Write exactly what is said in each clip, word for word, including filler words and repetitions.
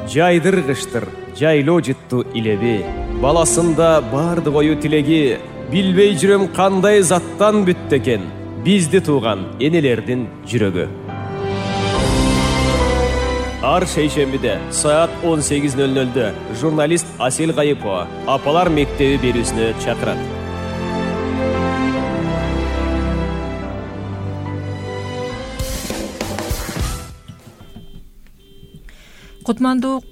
жайдыргыштыр жайлоо жытту илеби. Баласында бардык ою тилеги, билбей жүрөм кандай заттан бүттү экен бизди тууган энелердин жүрөгү. Ар шейшембиде саат он сегиз ноль нольдө журналист Асел Кайыпова Апалар мектеби берүүсүнө чакырат. Кутмандуу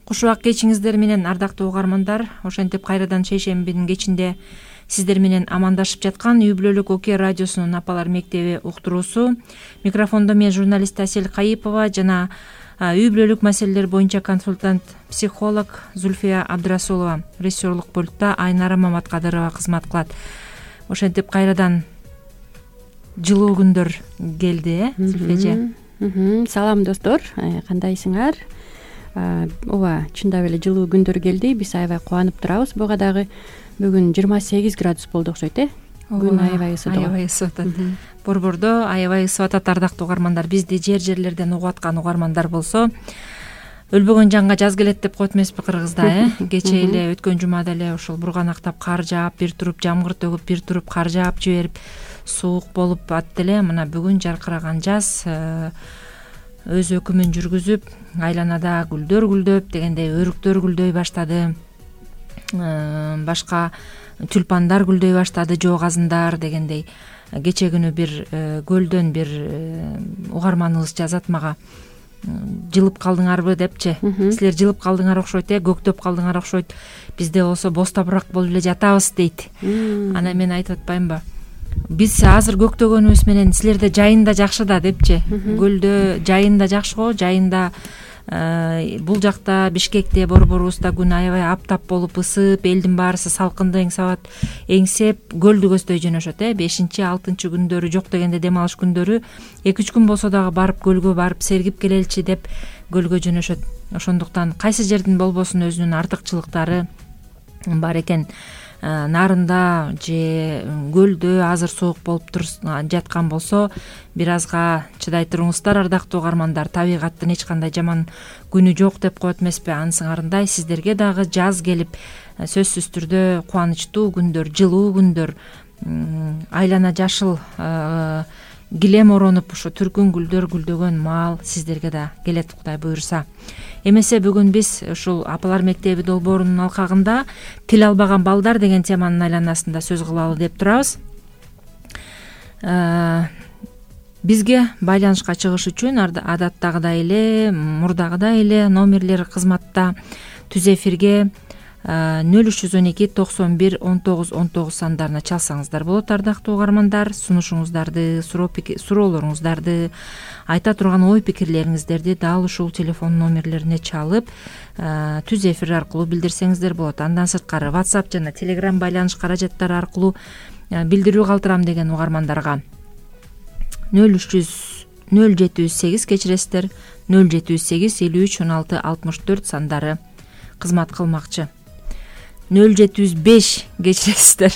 куш убак кечиңиздер менен ардактуу угармандар. Ошентип кайрадан шейшембинин кечинде сиздер менен амандашып жаткан үй бүлөлүк Оке радиосунун Апалар мектеби уктуруусу. Микрофондо мен журналист Асел Кайыпова жана үй бүлөлүк маселелер боюнча консультант психолог Зульфия Абдрасулова. Режиссерлук пультта Айнара Маматкадырова кызмат кылат. Ошентип кайрадан жылуу күндөр келди, э, Зульфия эже. Салам достор, кандайсыңар? Ооба, чындап эле жылуу күндөр келди. Биз аябай кубанып турабыз. Буга дагы бүгүн жыйырма сегиз градус болду окшойт, э? Күн аябай ысыды. Аябай ысып атат. Борбордо аябай ысып атат ардактуу угармандар. Бизди жер жерлерден угуп аткан угармандар болсо, өлбөгөн жанга жаз келет деп коет эмеспи кыргызда, э? Кече эле өткөн жумада эле ушул бурганактап кар жаап, бир туруп жамгыр төгүп, бир туруп кар жаап жиберип, суук болуп атты эле. Мына бүгүн жаркыраган жаз өз өкүмүн жүргүзүп, айланада гүлдөр гүлдөп дегендей өрүктөр гүлдөй баштады. Башка тюльпандар гүлдөй баштады, жоогазындар дегендей. Кече күнү бир көлдөн бир угарманыбыз жазат мага, жылып калдыңарбы депчи. Силер жылып калдыңар окшойт, э, көктөп калдыңар окшойт. Бизде болсо бостопураак болуп эле жатабыз дейт. Анан мен айтып атпаймынбы? Биз азыр көктөгөнүбүз менен силерде жайында жакшы да депчи. Көлдө жайында жакшы го, жайында бул жакта Бишкекте, борборубузда күн аябай аптап болуп ысып, элдин баарысы салкынды эңсеп эңсеп көлдү көздөй жөнөшөт, э. бешинчи алтынчы күндөрү, жок дегенде дем алыш күндөрү эки үч күн болсо дагы барып көлгө барып сергип келеличи деп көлгө жөнөшөт. Ошондуктан кайсы жердин болбосун өзүнүн артыкчылыктары бар экен. Нарында же көлдө азыр суук болуп жаткан болсо, бир азга чыдай туруңуздар ардактуу угармандар. Табигаттын эч кандай жаман күнү жок деп коет эмеспи? Анысыңарындай сиздерге дагы жаз келип, сөзсүз түрдө кубанычтуу күндөр, жылуу күндөр, айлана жашыл килем оронуп, ушу түркүн гүлдөр гүлдөгөн маал сиздерге да келет, Кудай буйрса. Эмесе бүгүн биз ушул Апалар мектеби долбоорунун алкагында тил албаган балдар деген теманын айланасында сөз кылалы деп турабыз. Бизге байланышка чыгыш үчүн адаттагыдай эле, мурдагыдай эле номерлер кызматта. Түз эфирге нөл үч жүз он эки токсон бир он тогуз он тогуз сандарына чалсаңыздар болот, ардактуу угармандар. Сунушуңуздарды, суроолоруңуздарды, айта турган ой пикирлериңиздерди дал ушул телефон номерлерине чалып, түз эфир аркылуу билдирсеңиздер болот. Андан сырткары WhatsApp жана Telegram байланыш каражаттары аркылуу билдирүү калтырам деген угармандарга нөл үч жүз нөл жети жүз сегиз кечиресиздер, нөл жети жүз сегиз элүү үч он алты алтымыш төрт сандары кызмат кылмакчы. нөл жети жүз беш кечиресиздер.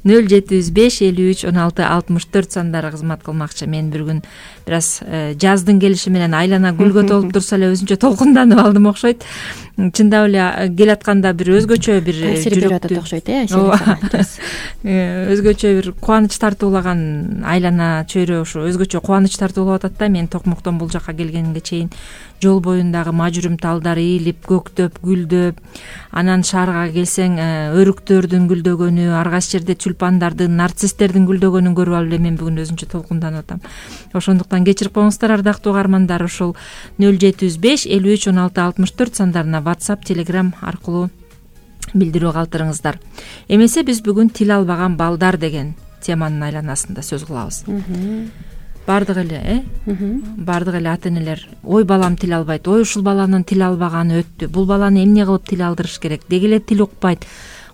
нөл жети жүз беш элүү үч он алты алтымыш төрт сандары кызмат кылмакчы. Мен бір күн бир аз жаздын келиши менен айлана гүлгө толуп турса эле өзүнчө толкунданып алдым окшойт. Чындап эле келатканда бир өзгөчө бир таасир берип атат окшойт, э? Өзгөчө бир кубаныч тартуулаган айлана чөйрө ушу өзгөчө кубаныч тартуулап атат да. Мен Токмоктон бул жакка келгенге чейин жол боюндагы мажүрүм талдар ийилип, көктөп, гүлдөп, анан шаарга келсең өрүктөрдүн гүлдөгөнү, ар кайсы жерде тюльпандардын, нарцисстердин гүлдөгөнүн көрүп алып эле мен бүгүн өзүнчө толкунданып атам. Ошондуктан кечирип коюңуздар, ардактуу угармандар. Ушул нөл жети жүз беш элүү үч он алты алтымыш төрт сандарына WhatsApp, Telegram аркылуу билдирүү калтырыңыздар. Эмесе биз бүгүн тил албаган балдар деген теманын айланасында сөз кылабыз. Бардык эле, э? Бардык эле ата-энелер ой балам тил албайт, ой ушул баланын тил албаганы өттү, бул баланы эмне кылып тил алдырыш керек, деги эле тил укпайт,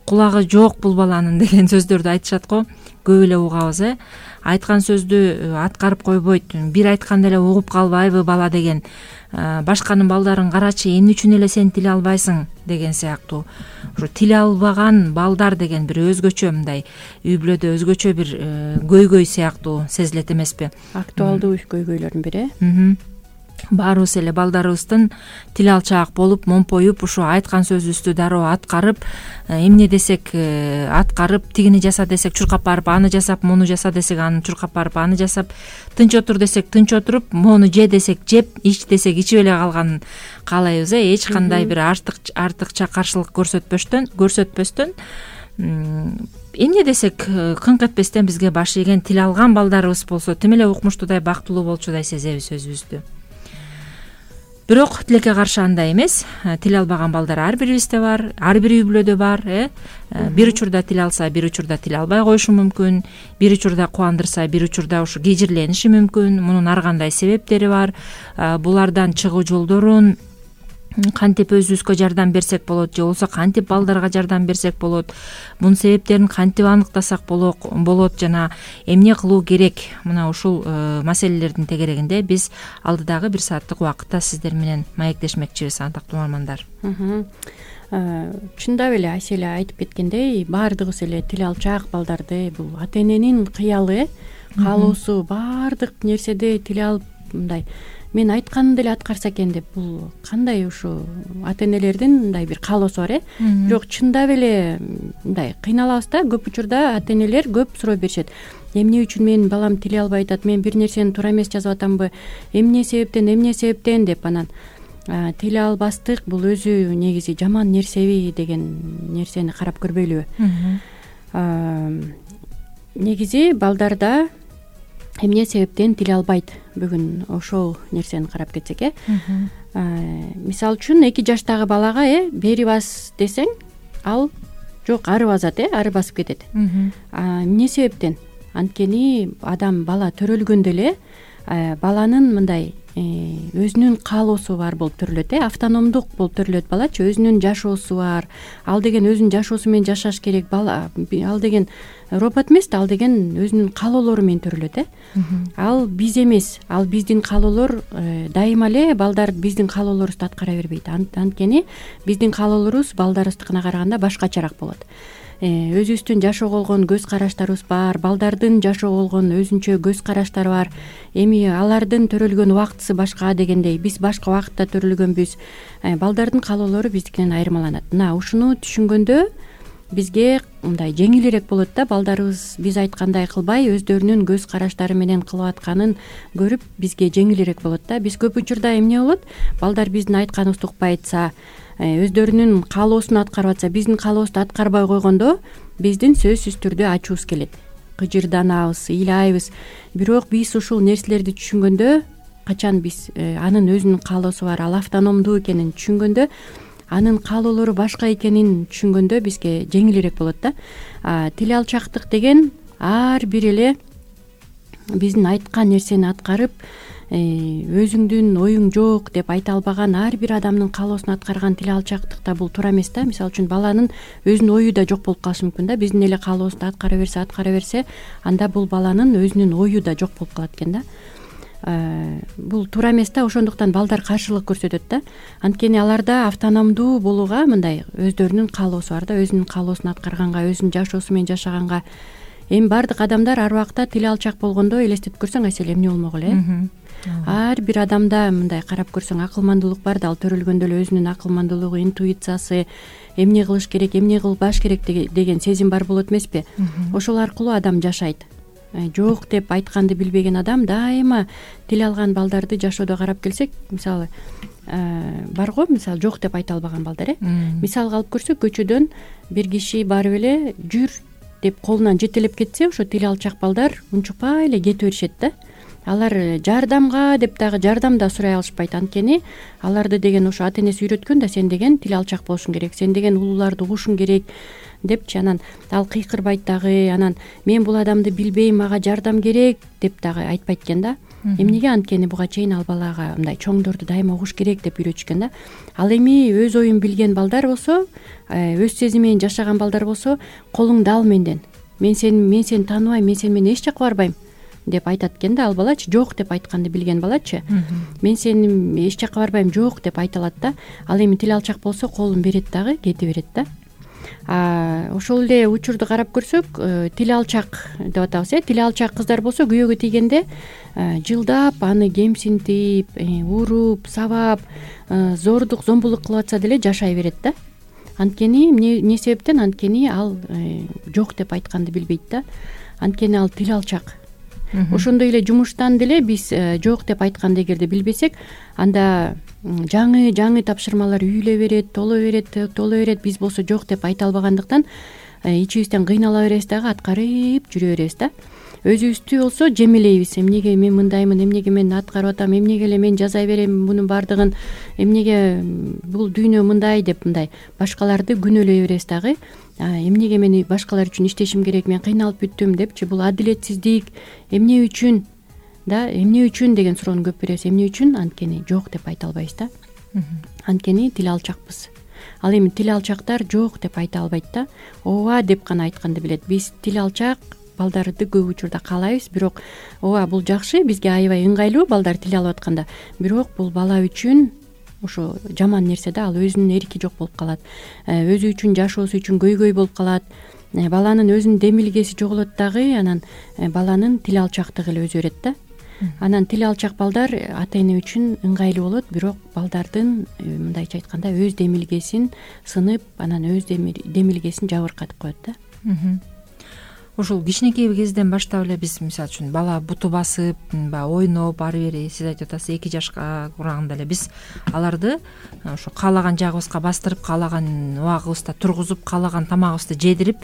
кулагы жок бул баланын деген сөздөрдү айтышат го. Көп эле угабыз, э? Айткан сөздү аткарып койбойт, бир айтканда эле угуп калбайбы бала деген, башканын балдарын карачы, эмне үчүн эле сен тил албайсың деген сыяктуу. Ушу тил албаган балдар деген бир өзгөчө мындай үй бүлөдө өзгөчө бир көйгөй сыяктуу сезилет эмеспи? Актуалдуу көйгөйлөрдүн бири. баарыбыз эле балдарыбыздын тил алчаак болуп момпоюп ушу айткан сөзүбүздү дароо аткарып, эмне десек аткарып, тигини жаса десек чуркап барып аны жасап, муну жаса десек аны чуркап барып аны жасап, тынч отур десек тынч отуруп, мону же десек жеп, ич десек ичип эле калганын каалайбыз. э эч кандай бир артык артыкча каршылык көрсөтпөстөн көрсөтпөстөн эмне десек кыңк этпестен бизге баш ийген тил алган балдарыбыз болсо тим эле укмуштуудай, бактылуу болчудай сезебиз өзүбүздү. Бирок тилекке каршы андай эмес. Тил албаган балдар ар бирибизде бар, ар бир үй бүлөдө бар. э Бир учурда тил алса, бир учурда тил албай коюшу мүмкүн, бир учурда кубандырса, бир учурда ушу кежирлениши мүмкүн. Мунун ар кандай себептери бар. Булардан чыгуу жолдорун кантип өзүбүзгө жардам берсек болот, же болбосо кантип балдарга жардам берсек болот, мунун себептерин кантип аныктасак болот жана эмне кылуу керек, мына ушул маселелердин тегерегинде биз алдыдагы бир сааттык убакытта сиздер менен маектешмекчибиз, антактуу угармандар. Чындап эле Айселе айтып кеткендей, баардыгыбыз эле тил алчаак балдарды бул ата эненин кыялы, каалоосу баардык нерседе тил алып мындай мен айтканымды эле аткарса экен деп, бул кандай ушу ата энелердин мындай бир каалоосу бар э бирок чындап эле мындай кыйналабыз да. Көп учурда ата энелер көп суроо беришет. Эмне үчүн менин балам тил албай атат, мен бир нерсени туура эмес жазып атамбы, эмне себептен эмне себептен деп, анан тил албастык бул өзү негизи жаман нерсеби деген нерсени карап көрбөйлүбү? Негизи балдарда эмне себептен тил албайт? Бүгүн ошол нерсени карап кетсек э мисалы үчүн эки жаштагы балага э бери бас десең, ал жок ары басат, э ары басып кетет. Эмне себептен? Анткени адам бала төрөлгөндө эле баланын мындай өзүнүн каалоосу бар болуп төрөлөт, э автономдук болуп төрөлөт балачы, өзүнүн жашоосу бар. Ал деген өзүнүн жашоосу менен жашаш керек. Бала ал деген робот эмес да, ал деген өзүнүн каалоолору менен төрөлөт, э ал биз эмес, ал биздин каалоолор дайыма эле балдар биздин каалоолорубузду аткара бербейт. Анткени биздин каалоолорубуз балдарыбыздыкына караганда башкачараак болот. Өзүбүздүн жашоого болгон көз караштарыбыз бар, балдардын жашоого болгон өзүнчө көз караштары бар. Эми алардын төрөлгөн убактысы башка дегендей, биз башка убакытта төрөлгөнбүз. Балдардын каалоолору биздикинен айырмаланат. Мына ушуну түшүнгөндө бизге мындай жеңилирээк болот да. Балдарыбыз биз айткандай кылбай, өздөрүнүн көз караштары менен кылып атканын көрүп бизге жеңилирээк болот да. Биз көп учурда эмне болот? Балдар биздин айтканыбызды укпай атса, өздөрүнүн каалоосун аткарып атса, биздин каалообузду аткарбай койгондо биздин сөзсүз түрдө ачуубуз келет, кыжырданабыз, ыйлайбыз. Бирок биз ушул нерселерди түшүнгөндө, качан биз анын өзүнүн каалоосу бар, ал автономдуу экенин түшүнгөндө, анын каалоолору башка экенин түшүнгөндө бизге жеңилирээк болот да. Тил алчаактык деген ар бир эле биздин айткан нерсени аткарып, өзүңдүн оюң жок деп айта албаган ар бир адамдын каалоосун аткарган тил алчаактыкта бул туура эмес да. Мисалы үчүн баланын өзүнүн ою да жок болуп калышы мүмкүн да. Биздин эле каалообузду аткара берсе, аткара берсе, анда бул баланын өзүнүн ою да жок болуп калат экен да. Бул туура эмес да. Ошондуктан балдар каршылык көрсөтөт да. Анткени аларда автономдуу болууга мындай өздөрүнүн каалоосу бар да. Өзүнүн каалоосун аткарганга, өзүнүн жашоосу менен жашаганга. Эми баардык адамдар ар убакта тил алчаак болгондо элестетип көрсөң, Айселе, эмне болмок эле? Ар бир адамда мындай карап көрсөң акылмандуулук бар да. Ал төрөлгөндө эле өзүнүн акылмандуулугу, интуициясы, эмне кылыш керек, эмне кылбаш керек деген сезим бар болот эмеспи? Ошол аркылуу адам жашайт. Жок деп айтканды билбеген адам дайыма тил алган балдарды жашоодо карап келсек, мисалы бар го, мисалы жок деп айта албаган балдар, э мисалга алып көрсөк, көчөдөн бир киши барып эле жүр деп колунан жетелеп кетсе, ошо тил алчаак балдар унчукпай эле кете беришет да. Алар жардамга деп дагы жардам да сурай алышпайт. Анткени аларды деген ошо ата энеси үйрөткөн да, сен деген тил алчаак болушуң керек, сен деген улууларды угушуң керек депчи. Анан ал кыйкырбайт дагы, анан мен бул адамды билбейм, мага жардам керек деп дагы айтпайт экен да. Эмнеге? Анткени буга чейин ал балага мындай чоңдорду дайыма угуш керек деп үйрөтүшкөн да. Ал эми өз оюн билген балдар болсо, өз сезими менен жашаган балдар болсо, колуңду ал менден, мен сени мен сени тааныбайм, мен сени менен эч жака барбайм деп айтат экен да. Ал балачы жок деп айтканды билген балачы, мен сени эч жака барбайм, жок деп айта алат да. Ал эми тил алчаак болсо колун берет дагы кете берет да. ошол эле учурду карап көрсөк, тили алчак деп атабыз э тили алчак кыздар болсо күйөөгө тийгенде жылдап аны кемсинтип, уруп, сабап, зордук, зомбулук кылып атса деле жашай берет да. Анткени эмне себептен? Анткени ал жок деп айтканды билбейт да. Анткени ал тил алчак. Ошондой эле жумуштан деле биз жок деп айтканды эгерде билбесек, анда жаңы жаңы тапшырмалар үйүлө берет, толо берет, толо берет. Биз болсо жок деп айта албагандыктан ичибизден кыйнала беребиз дагы, аткарып жүрө беребиз да. Өзүбүздү болсо жемелейбиз. Эмнеге мен мындаймын, эмнеге мен аткарып атам, эмнеге эле мен жаза берем мунун баардыгын, эмнеге бул дүйнө мындай деп мындай башкаларды күнөөлөй беребиз дагы. Эмнеге мен башкалар үчүн иштешим керек, мен кыйналып бүттүм депчи, бул адилетсиздик, эмне үчүн да, эмне үчүн деген суроону көп беребиз. Эмне үчүн? Анткени жок деп айта албайбыз да. Анткени тил алчакпыз. Ал эми тил алчактар жок деп айта албайт да. Ооба деп гана айтканды билет. Биз тил алчак балдарды көп учурда каалайбыз, бирок ооба бул жакшы, бизге аябай ыңгайлуу балдар тил алып атканда. Бирок бул бала үчүн ошо жаман нерсе да, ал өзүнүн эрки жок болуп калат. Өзү үчүн, жашоосу үчүн көйгөй болуп калат. Баланын өзүнүн демилгеси жоголот дагы, анан баланын тил алчактыгы эле өзгөрөт да. Анан тил алчак балдар ата эне үчүн ыңгайлуу болот, бирок балдардын мындайча айтканда өз демилгесин сынып, анан өз демилгесин жабыркатып коет да. Ушул кичинекей кезден баштап эле биз мисалы үчүн бала буту басып, баягы ойноп, ары бери сиз айтып атасыз эки жашка кураганда эле биз аларды ошо каалаган жагыбызга бастырып, каалаган убагыбызда тургузуп, каалаган тамагыбызды жедирип,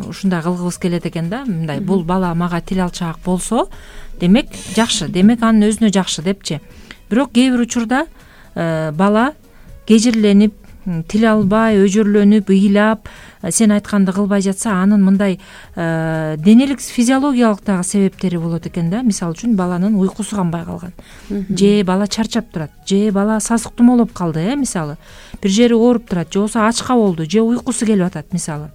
ушундай кылгыбыз келет экен да. Мындай бул бала мага тил алчак болсо, демек жакшы, демек анын өзүнө жакшы депчи. Бирок кээ бир учурда бала кежирленип, тил албай, өжөрлөнүп, ыйлап, сен айтканды кылбай жатса, анын мындай денелик, физиологиялык дагы себептери болот экен да. Мисалы үчүн баланын уйкусу канбай калган, же бала чарчап турат, же бала сасык тумоолоп калды, э мисалы, бир жери ооруп турат, же болбосо ачка болду, же уйкусу келип атат мисалы.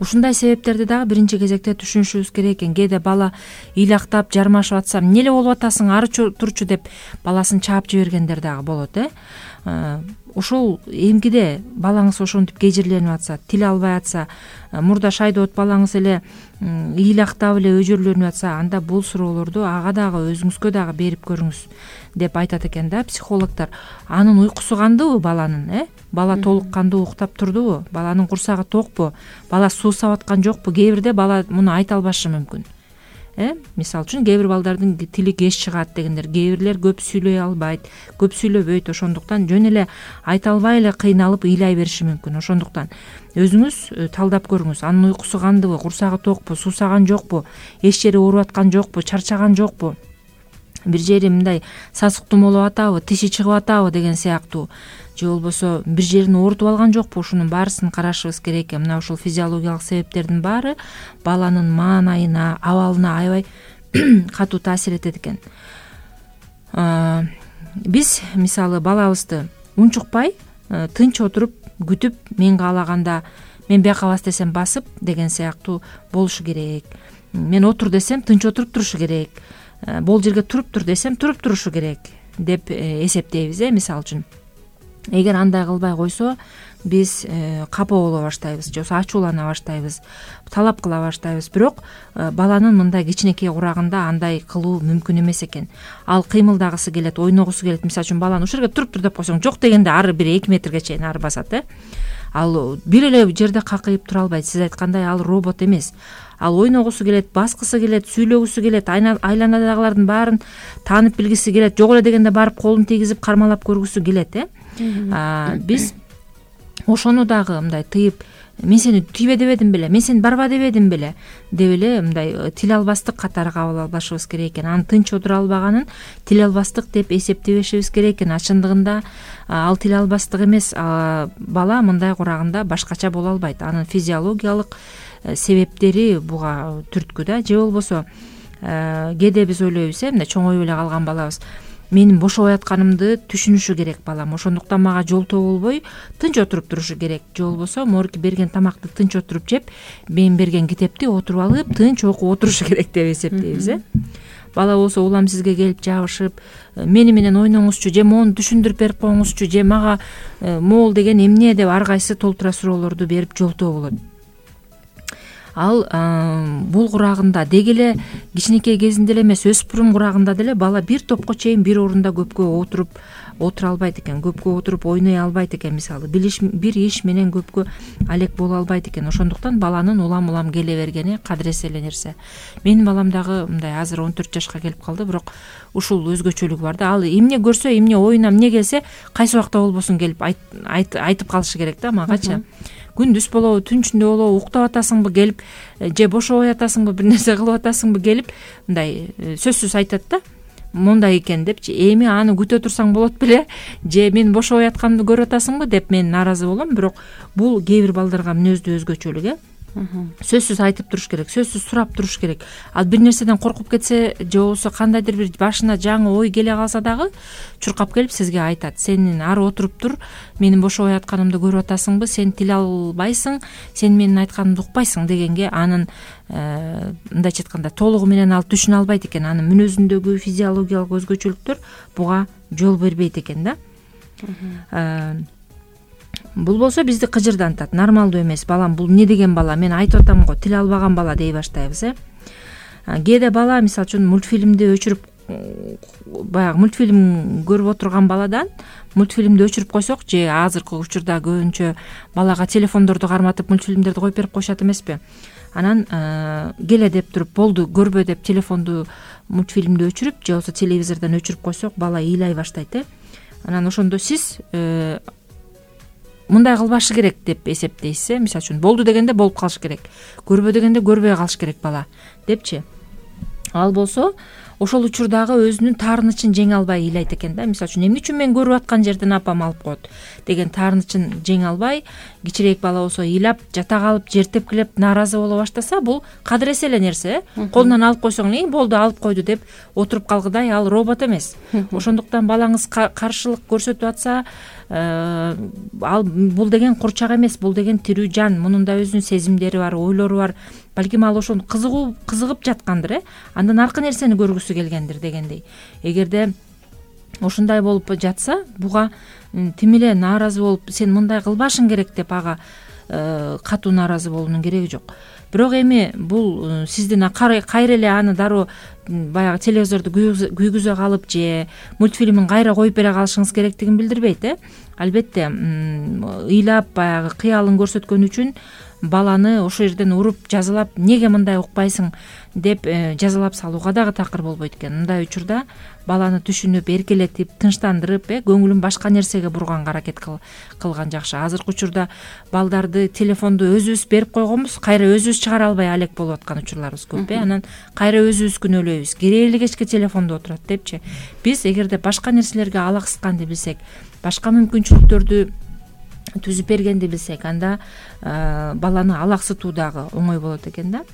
Ушундай себептерди дагы биринчи кезекте түшүнүшүбүз керек экен. Кээде бала ыйлактап, жармашып атса, эмне эле болуп атасың, ары турчу деп баласын чаап жибергендер дагы болот, э. Ошол эмкиде балаңыз ошентип кежирленип атса, тил албай атса, мурда шайдоот балаңыз эле ыйлактап эле өжөрлөнүп атса, анда бул суроолорду ага дагы өзүңүзгө дагы берип көрүңүз деп айтат экен да психологдор. Анын уйкусу кандыбы баланын, э? Бала толук кандуу уктап турдубу? Баланын курсагы токпу? Бала суусап аткан жокпу? Кээ бирде бала муну айта албашы мүмкүн. Э, мисалы үчүн кээ бир балдардын тили кеч чыгат дегендер, кээ бирлер көп сүйлөй албайт, көп сүйлөбөйт, ошондуктан жөн эле айта албай эле кыйналып ыйлай бериши мүмкүн. Ошондуктан өзүңүз талдап көрүңүз. Анын уйкусу кандыбы, курсагы токпу, суусаган жокпу, эч жери ооруп аткан жокпу, чарчаган жокпу, бир жери мындай сасык тумоолоп атабы, тиши чыгып атабы деген сыяктуу, же болбосо бир жерин оорутуп алган жокпу, ушунун баарысын карашыбыз керек экен. Мына ушул физиологиялык себептердин баары баланын маанайына, абалына аябай катуу таасир этет экен. Биз мисалы балабызды унчукпай, тынч отуруп күтүп, мен каалаганда мен бияка бас десем басып деген сыяктуу болушу керек. Мен отур десем тынч отуруп турушу керек. Бул жерге туруп тур десем туруп турушу керек деп эсептейбиз, э мисалы үчүн. Эгер андай кылбай койсо, биз капа боло баштайбыз, же болбосо ачуулана баштайбыз, талап кыла баштайбыз. Бирок баланын мындай кичинекей курагында андай кылуу мүмкүн эмес экен. Ал кыймылдагысы келет, ойногусу келет. Мисалы үчүн баланы ушул жерге туруп тур деп койсоң, жок дегенде ары бир эки метрге чейин ары басат, э. Ал бир эле жерде какыйып тура албайт. Сиз айткандай ал робот эмес. Ал ойногусу келет, баскысы келет, сүйлөгүсү келет, айланадагылардын баарын таанып билгиси келет, жок эле дегенде барып колун тийгизип кармалап көргүсү келет, э. Биз ошону дагы мындай тыйып, мен сени тийбе дебедим беле, мен сени барба дебедим беле деп эле мындай тил албастык катары кабыл албашыбыз керек экен. Анын тынч отура албаганын тил албастык деп эсептебешибиз керек экен. Чындыгында ал тил албастык эмес, бала мындай курагында башкача боло албайт. Анын физиологиялык себептери буга түрткү да. Же болбосо кээде биз ойлойбуз, э, мындай чоңоюп эле калган балабыз, менин бошобой атканымды түшүнүшү керек балам, ошондуктан мага жолтоо болбой тынч отуруп турушу керек. Же болбосо могуки берген тамакты тынч отуруп жеп, мен берген китепти отуруп алып тынч окуп отурушу керек деп эсептейбиз, э. бала болсо улам сизге келип жабышып мени менен ойноңузчу же моуну түшүндүрүп берип коюңузчу же мага могул деген эмне деп ар кайсы толтура суроолорду берип жолтоо болот. Ал бул курагында деги эле кичинекей кезинде эле эмес, өспүрүм курагында деле бала бир топко чейин бир орунда көпкө отуруп отура албайт экен, көпкө отуруп ойной албайт экен. Мисалы бир иш менен көпкө алек боло албайт экен. Ошондуктан баланын улам улам келе бергени кадыресе эле нерсе. Менин балам дагы мындай азыр он төрт жашка келип калды, бирок ушул өзгөчөлүгү бар да. Ал эмне көрсө, эмне оюна эмне келсе кайсы убакта болбосун келип айтып калышы керек да магачы. Күндүз болобу, түн ичинде болобу, уктап атасыңбы келип, же бошобой атасыңбы, бир нерсе кылып атасыңбы келип, мындай сөзсүз айтат да. Мондай экен депчи, эми аны күтө турсаң болот беле, же мен бошобой атканымды көрүп атасыңбы деп мен нааразы болом. Бирок бул кээ бир балдарга мүнөздүү өзгөчөлүк э. Сөзсүз айтып туруш керек, сөзсүз сурап туруш керек. Ал бир нерседен коркуп кетсе же болбосо кандайдыр бир башына жаңы ой келе калса дагы чуркап келип сизге айтат. Сен ары отуруп тур, менин бошобой атканымды көрүп атасыңбы, сен тил албайсың, сен менин айтканымды укпайсың дегенге анын мындайча айтканда толугу менен алып түшүнө албайт экен. Анын мүнөзүндөгү физиологиялык өзгөчөлүктөр буга жол бербейт экен да. Бул болсо бизди кыжырдантат, нормалдуу эмес. Балам бул эмне деген бала, мен айтып атам го, тил албаган бала дей баштайбыз э. Кээде бала мисалы үчүн мультфильмди өчүрүп, баягы мультфильм көрүп отурган баладан мультфильмди өчүрүп койсок, же азыркы учурда көбүнчө балага телефондорду карматып мультфильмдерди коюп берип коюшат эмеспи? Анан келе деп туруп, болду көрбө деп телефонду мультфильмди өчүрүп же болбосо телевизордон өчүрүп койсок, бала ыйлай баштайт э. Анан ошондо сиз мындай кылбашы керек деп эсептейсиз э. Мисалы үчүн болду дегенде болуп калыш керек, көрбө дегенде көрбөй калыш керек бала депчи. Ал болсо ошол учурдагы өзүнүн таарынычын жеңе албай ыйлайт экен да. Мисалы үчүн эмне үчүн мен көрүп аткан жерден апам алып коет деген таарынычын жеңе албай, кичирээк бала болсо ыйлап, жата калып, жер тепкилеп, нааразы боло баштаса, бул кадыресе эле нерсе э. Колунан алып койсоң, эле болду алып койду деп отуруп калгыдай, ал робот эмес. Ошондуктан балаңыз каршылык көрсөтүп атса, ал бул деген курчак эмес, бул деген тирүү жан, мунун да өзүнүн сезимдери бар, ойлору бар. Балким ал ошону кызыгуу кызыгып жаткандыр э. Андан аркы нерсени көргүсү келгендир дегендей. Эгерде ошондой болуп жатса, буга тим эле нааразы болуп, сен мындай кылбашың керек деп ага катуу нааразы болуунун кереги жок. Бирок эми бул сиздин кайра эле аны дароо баягы телевизорду күйгүзө калып же мультфильмин кайра коюп бере калышыңыз керектигин билдирбейт э. Албетте ыйлап баягы кыялын көрсөткөн үчүн баланы ошол жерден уруп жазалап, неге мындай укпайсың деп жазалап салууга дагы такыр болбойт экен. Мындай учурда баланы түшүнүп, эркелетип, тынчтандырып, э көңүлүн башка нерсеге бурганга аракет кылган жакшы. Азыркы учурда балдарды телефонду өзүбүз берип койгонбуз, кайра өзүбүз чыгара албай алек болуп аткан учурларыбыз көп э. Анан кайра өзүбүз күнөөлөйбүз, керек эле кечке телефондо отурат депчи. Биз эгерде башка нерселерге алаксыкканды билсек, башка мүмкүнчүлүктөрдү түзүп бергенди билсек, анда баланы алаксытуу дагы оңой болот экен да.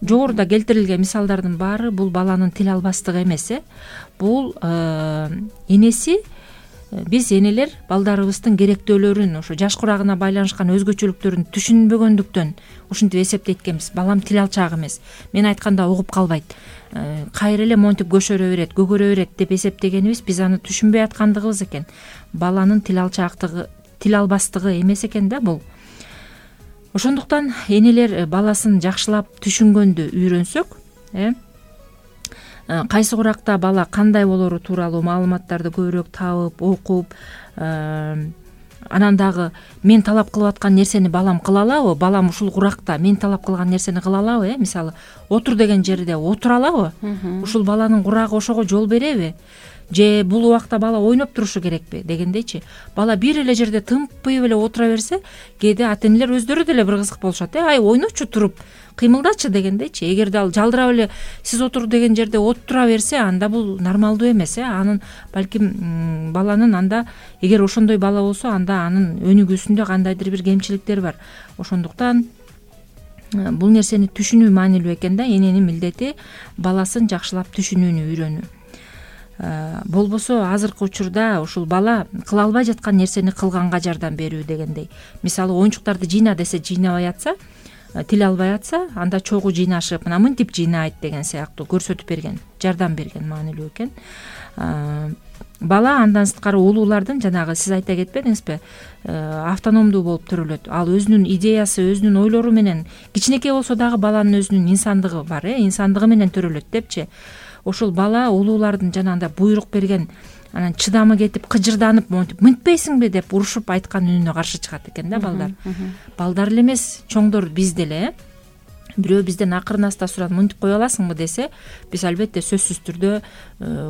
Жогоруда келтирилген мисалдардын баары бул баланын тил албастыгы эмес э. Бул энеси, биз энелер балдарыбыздын керектөөлөрүн, ошо жаш курагына байланышкан өзгөчөлүктөрүн түшүнбөгөндүктөн ушинтип эсептейт экенбиз. Балам тил алчак эмес, мен айтканда угуп калбайт, кайра эле монтип көшөрө берет, көгөрө берет деп эсептегенибиз биз аны түшүнбөй аткандыгыбыз экен. Баланын тил алчаактыгы, тил албастыгы эмес экен да бул. Ошондуктан энелер баласын жакшылап түшүнгөндү үйрөнсөк, э кайсы куракта бала кандай болору тууралуу маалыматтарды көбүрөөк табып, окуп, анан дагы мен талап кылып аткан нерсени балам кыла алабы, балам ушул куракта мен талап кылган нерсени кыла алабы, э мисалы отур деген жерде отура алабы, ушул баланын курагы ошого жол береби, же бул убакта бала ойноп турушу керекпи дегендейчи. Бала бир эле жерде тымпыйып эле отура берсе, кээде ата энелер өздөрү деле бир кызык болушат э, ай ойночу туруп, кыймылдачы дегендейчи. Эгерде ал жалдырап эле сиз отур деген жерде отура берсе, анда бул нормалдуу эмес э. Анын балким баланын анда, эгер ошондой бала болсо, анда анын өнүгүүсүндө кандайдыр бир кемчиликтер бар. Ошондуктан бул нерсени түшүнүү маанилүү экен да. Эненин милдети баласын жакшылап түшүнүүнү үйрөнүү. Болбосо азыркы учурда ушул бала кыла албай жаткан нерсени кылганга жардам берүү дегендей. Мисалы оюнчуктарды жыйна десе жыйнабай атса, тил албай атса, анда чогуу жыйнашып, мына мынтип жыйнайт деген сыяктуу көрсөтүп берген. жардам берген маанилүү экен. Бала андан сырткары улуулардын жанагы сиз айта кетпедиңизби, автономдуу болуп төрөлөт. Ал өзүнүн идеясы, өзүнүн ойлору менен, кичинекей болсо дагы баланын өзүнүн инсандыгы бар, э, инсандыгы менен төрөлөт депчи. Ошол бала улуулардын жанагындай буйрук берген, анан чыдамы кетип, кыжырданып, монтип мынтпейсиңби деп урушуп айткан үнүнө каршы чыгат экен да балдар. Балдар эле эмес, чоңдор биз деле. Бирөө бизден акырын аста сурап мынтип кое аласыңбы десе, биз албетте сөзсүз түрдө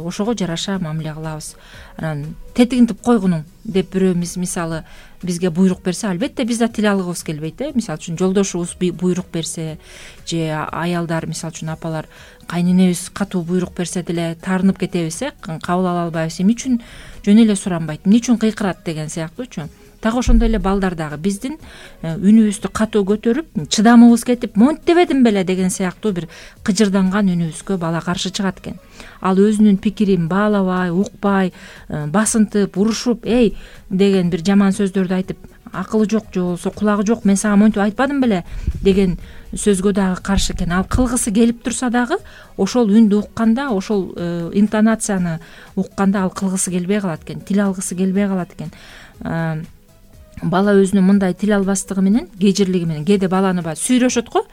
ошого жараша мамиле кылабыз. Анан тетигинтип койгунуң деп бирөөбүз мисалы бизге буйрук берсе, албетте биз да тил алгыбыз келбейт, э. Мисалы үчүн жолдошубуз буйрук берсе, же аялдар, мисалы үчүн апалар, кайненебиз катуу буйрук берсе деле таарынып кетебиз, э, кабыл ала албайбыз. Эмне үчүн жөн эле суранбайт, эмне үчүн кыйкырат деген сыяктуучу. Дагы ошондой эле балдар дагы биздин үнүбүздү катуу көтөрүп, чыдамыбыз кетип, монт дебедим беле деген сыяктуу бир кыжырданган үнүбүзгө бала каршы чыгат экен. Ал өзүнүн пикирин баалабай, укпай, басынтып, урушуп, эй деген бир жаман сөздөрдү айтып, акылы жок же болбосо кулагы жок, мен сага монтип айтпадым беле деген сөзгө дагы каршы экен. Ал кылгысы келип турса дагы, ошол үндү укканда, ошол интонацияны укканда ал кылгысы келбей калат экен, тил алгысы келбей калат экен. Бала өзүнүн мындай тил албастыгы менен, кежирлиги менен кээде баланы баягы сүйрөшөт го,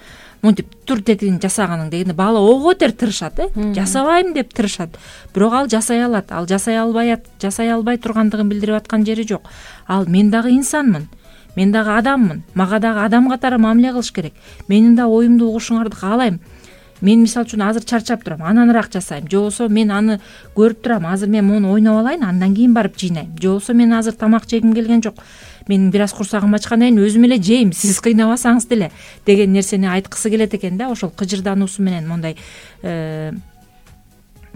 монтип тур тетигин жасаганың дегенде бала ого бетер тырышат, э, жасабайм деп тырышат. Бирок ал жасай алат, ал жасай албай, жасай албай тургандыгын билдирип аткан жери жок. Ал мен дагы инсанмын, мен дагы адаммын, мага дагы адам катары мамиле кылыш керек. Менин да оюмду угушуңарды каалайм. Мен мисалы үчүн азыр чарчап турам, ананыраак жасайм, же болбосо мен аны көрүп турам, азыр мен муну ойноп алайын, андан кийин барып жыйнайм, же болбосо мен азыр тамак жегим келген жок, менин бир аз курсагым ачкандан кийин өзүм эле жейм, сиз кыйнабасаңыз деле деген нерсени айткысы келет экен да. Ошол кыжырдануусу менен, мондай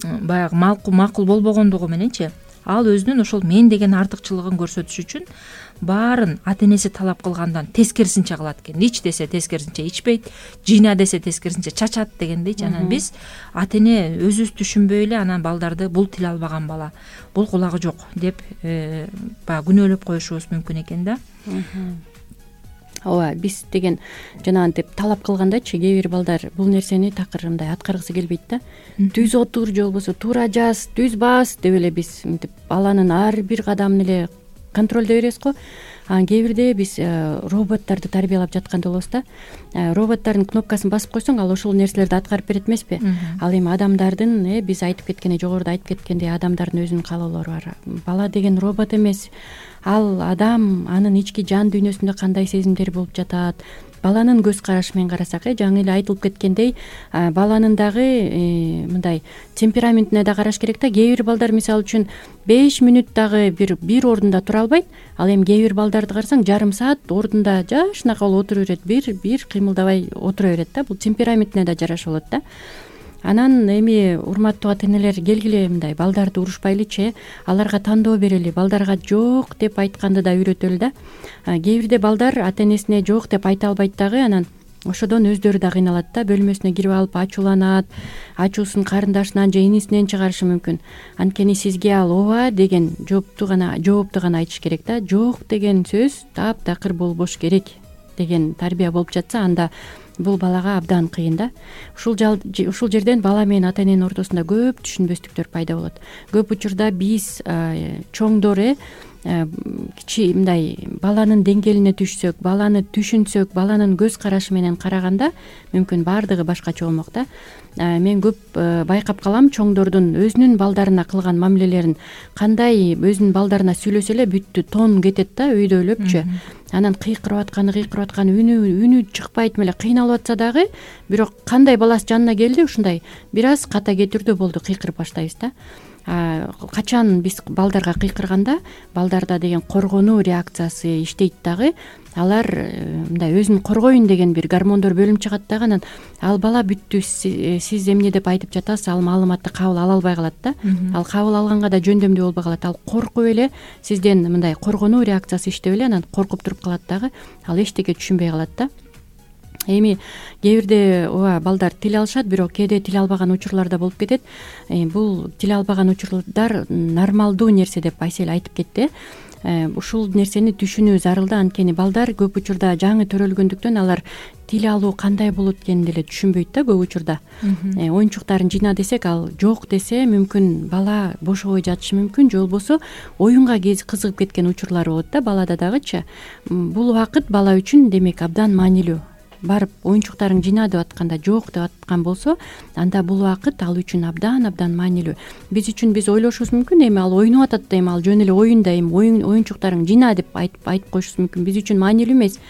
баягы макул болбогондугу мененчи, ал өзүнүн ошол мен деген артыкчылыгын көрсөтүш үчүн баарын ата энеси талап кылгандан тескерисинче кылат экен. Ич десе тескерисинче ичпейт, жыйна десе тескерисинче чачат дегендейчи. Анан биз ата эне өзүбүз түшүнбөй эле анан балдарды бул тил албаган бала, бул кулагы жок деп баягы күнөөлөп коюшубуз мүмкүн экен да. Ооба, биз деген жанагынтип талап кылгандачы кээ бир балдар бул нерсени такыр мындай аткаргысы келбейт да. Түз отур же болбосо туура жаз, түз бас деп эле биз мынтип баланын ар бир кадамын эле контролдой беребиз го. Анан кээ бирде биз роботторду тарбиялап жатканда болобуз да. Роботтордун кнопкасын басып койсоң, ал ошол нерселерди аткарып берет эмеспи? Ал эми адамдардын, э биз айтып кеткендей, жогоруда айтып кеткендей, адамдардын өзүнүн каалоолору бар. Бала деген робот эмес. Ал адам, анын ички жан дүйнөсүндө кандай сезимдер болуп жатат, баланын көз карашы менен карасак, э жаңы эле айтылып кеткендей, баланын дагы мындай темпераментине да караш керек да. Кээ бир балдар мисалы үчүн беш мүнөт дагы бир бир ордунда тура албайт. Ал эми кээ бир балдарды карасаң, жарым саат ордунда жашынакай болуп отура берет, бир бир кыймылдабай отура берет да. Бул темпераментине да жараша болот да. Анан эми урматтуу ата энелер, келгиле мындай балдарды урушпайлычы, аларга тандоо берели, балдарга жок деп айтканды да үйрөтөлү да. Кээ бирде балдар ата энесине жок деп айта албайт дагы, анан ошодон өздөрү да кыйналат да, бөлмөсүнө кирип алып ачууланат, ачуусун карындашынан же инисинен чыгарышы мүмкүн. Анткени сизге ал ооба деген жоопту гана жоопту гана айтыш керек да. Жок деген сөз таптакыр болбош керек деген тарбия болуп жатса, анда бул балага абдан кыйын да. Ушул ушул жерден бала менен ата эненин ортосунда көп түшүнбөстүктөр пайда болот. Көп учурда биз чоңдор э кичи мындай баланын деңгээлине түшсөк, баланы түшүнсөк, баланын көз карашы менен караганда мүмкүн баардыгы башкача болмок да. Мен көп байкап калам чоңдордун өзүнүн балдарына кылган мамилелерин. Кандай өзүнүн балдарына сүйлөсө эле бүттү, тон кетет да, өйдөлөпчү. Анан кыйкырып атканы, кыйкырып атканы, үнү үнү чыкпайт меле, кыйналып атса дагы, бирок кандай баласы жанына келди, ушундай бир аз ката кетирдүү болду, кыйкырып баштайбыз да. Качан биз балдарга кыйкырганда, балдарда деген коргонуу реакциясы иштейт дагы. Алар мындай өзүн коргоюн деген бир гормондор бөлүнүп чыгат дагы. Анан ал бала бүттү, сиз эмне деп айтып жатасыз, ал маалыматты кабыл ала албай калат да. Ал кабыл алганга да жөндөмдүү болбой калат. Ал коркуп эле, сизден мындай коргонуу реакциясы иштеп эле, анан коркуп туруп калат дагы. Ал эчтеке түшүнбөй калат да. Эми кээ бирде ооба балдар тил алышат, бирок кээде тил албаган учурлар да болуп кетет. Бул тил албаган учурлар нормалдуу нерсе деп Айсел айтып кетти. ушул нерсени түшүнүү зарыл да. Анткени балдар көп учурда жаңы төрөлгөндүктөн алар тил алуу кандай болот экенин деле түшүнбөйт да көп учурда. Оюнчуктарын жыйна десек, ал жок десе мүмкүн бала бошобой жатышы мүмкүн, же болбосо оюнга кызыгып кеткен учурлары болот да балада дагычы. Бул убакыт бала үчүн демек абдан маанилүү. Барып оюнчуктарын жыйна деп атканда жок деп аткан болсо, анда бул убакыт ал үчүн абдан абдан маанилүү. Биз үчүн биз ойлошубуз мүмкүн, эми ал ойноп атат да, эми ал жөн эле оюнда, эми оюн оюнчуктарын жыйна деп айтып айтып коюшубуз мүмкүн. Биз үчүн маанилүү эмес,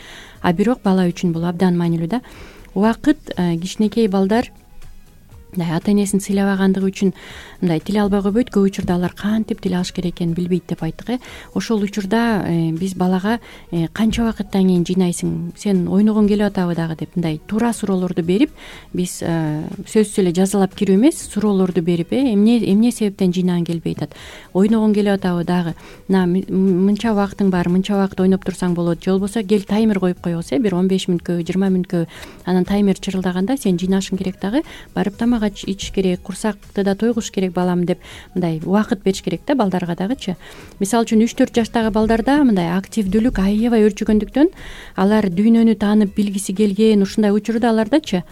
а бирок бала үчүн бул абдан маанилүү да. Убакыт кичинекей балдар мындай ата энесин сыйлабагандыгы үчүн мындай тил албай койбойт. Көп учурда алар кантип тил алыш керек экенин билбейт деп айттык э. Ошол учурда биз балага канча убакыттан кийин жыйнайсың, сен ойногуң келип атабы дагы деп мындай туура суроолорду берип, биз сөзсүз эле жазалап кирүү эмес, суроолорду берип, э эмне эмне себептен жыйнагың келбей атат, ойногуң келип атабы дагы, мына мынча убактың бар, мынча убакыт ойноп турсаң болот, же болбосо кел таймер коюп коебуз, э бир он беш мүнөткө, жыйырма мүнөткө. Анан таймер чырылдаганда сен жыйнашың керек дагы, барып тамак ичиш керек, курсакты да тойгуш керек балам деп мындай убакыт бериш керек да балдарга дагычы. Мисалы үчүн үч төрт жаштагы балдарда мындай активдүүлүк аябай өрчүгөндүктөн алар дүйнөнү таанып билгиси келген ушундай учурда алардачы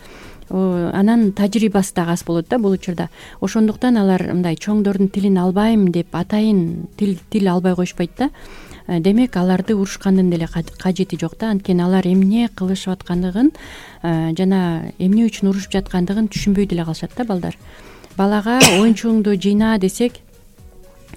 анан тажрыйбасы дагы аз болот да бул учурда. Ошондуктан алар мындай чоңдордун тилин албайм деп атайын тил тил албай коюшпайт да. Демек аларды урушкандын деле кажети жок да. Анткени алар эмне кылышып аткандыгын жана эмне үчүн урушуп жаткандыгын түшүнбөй деле калышат да балдар. Балага оюнчугуңду жыйна десек,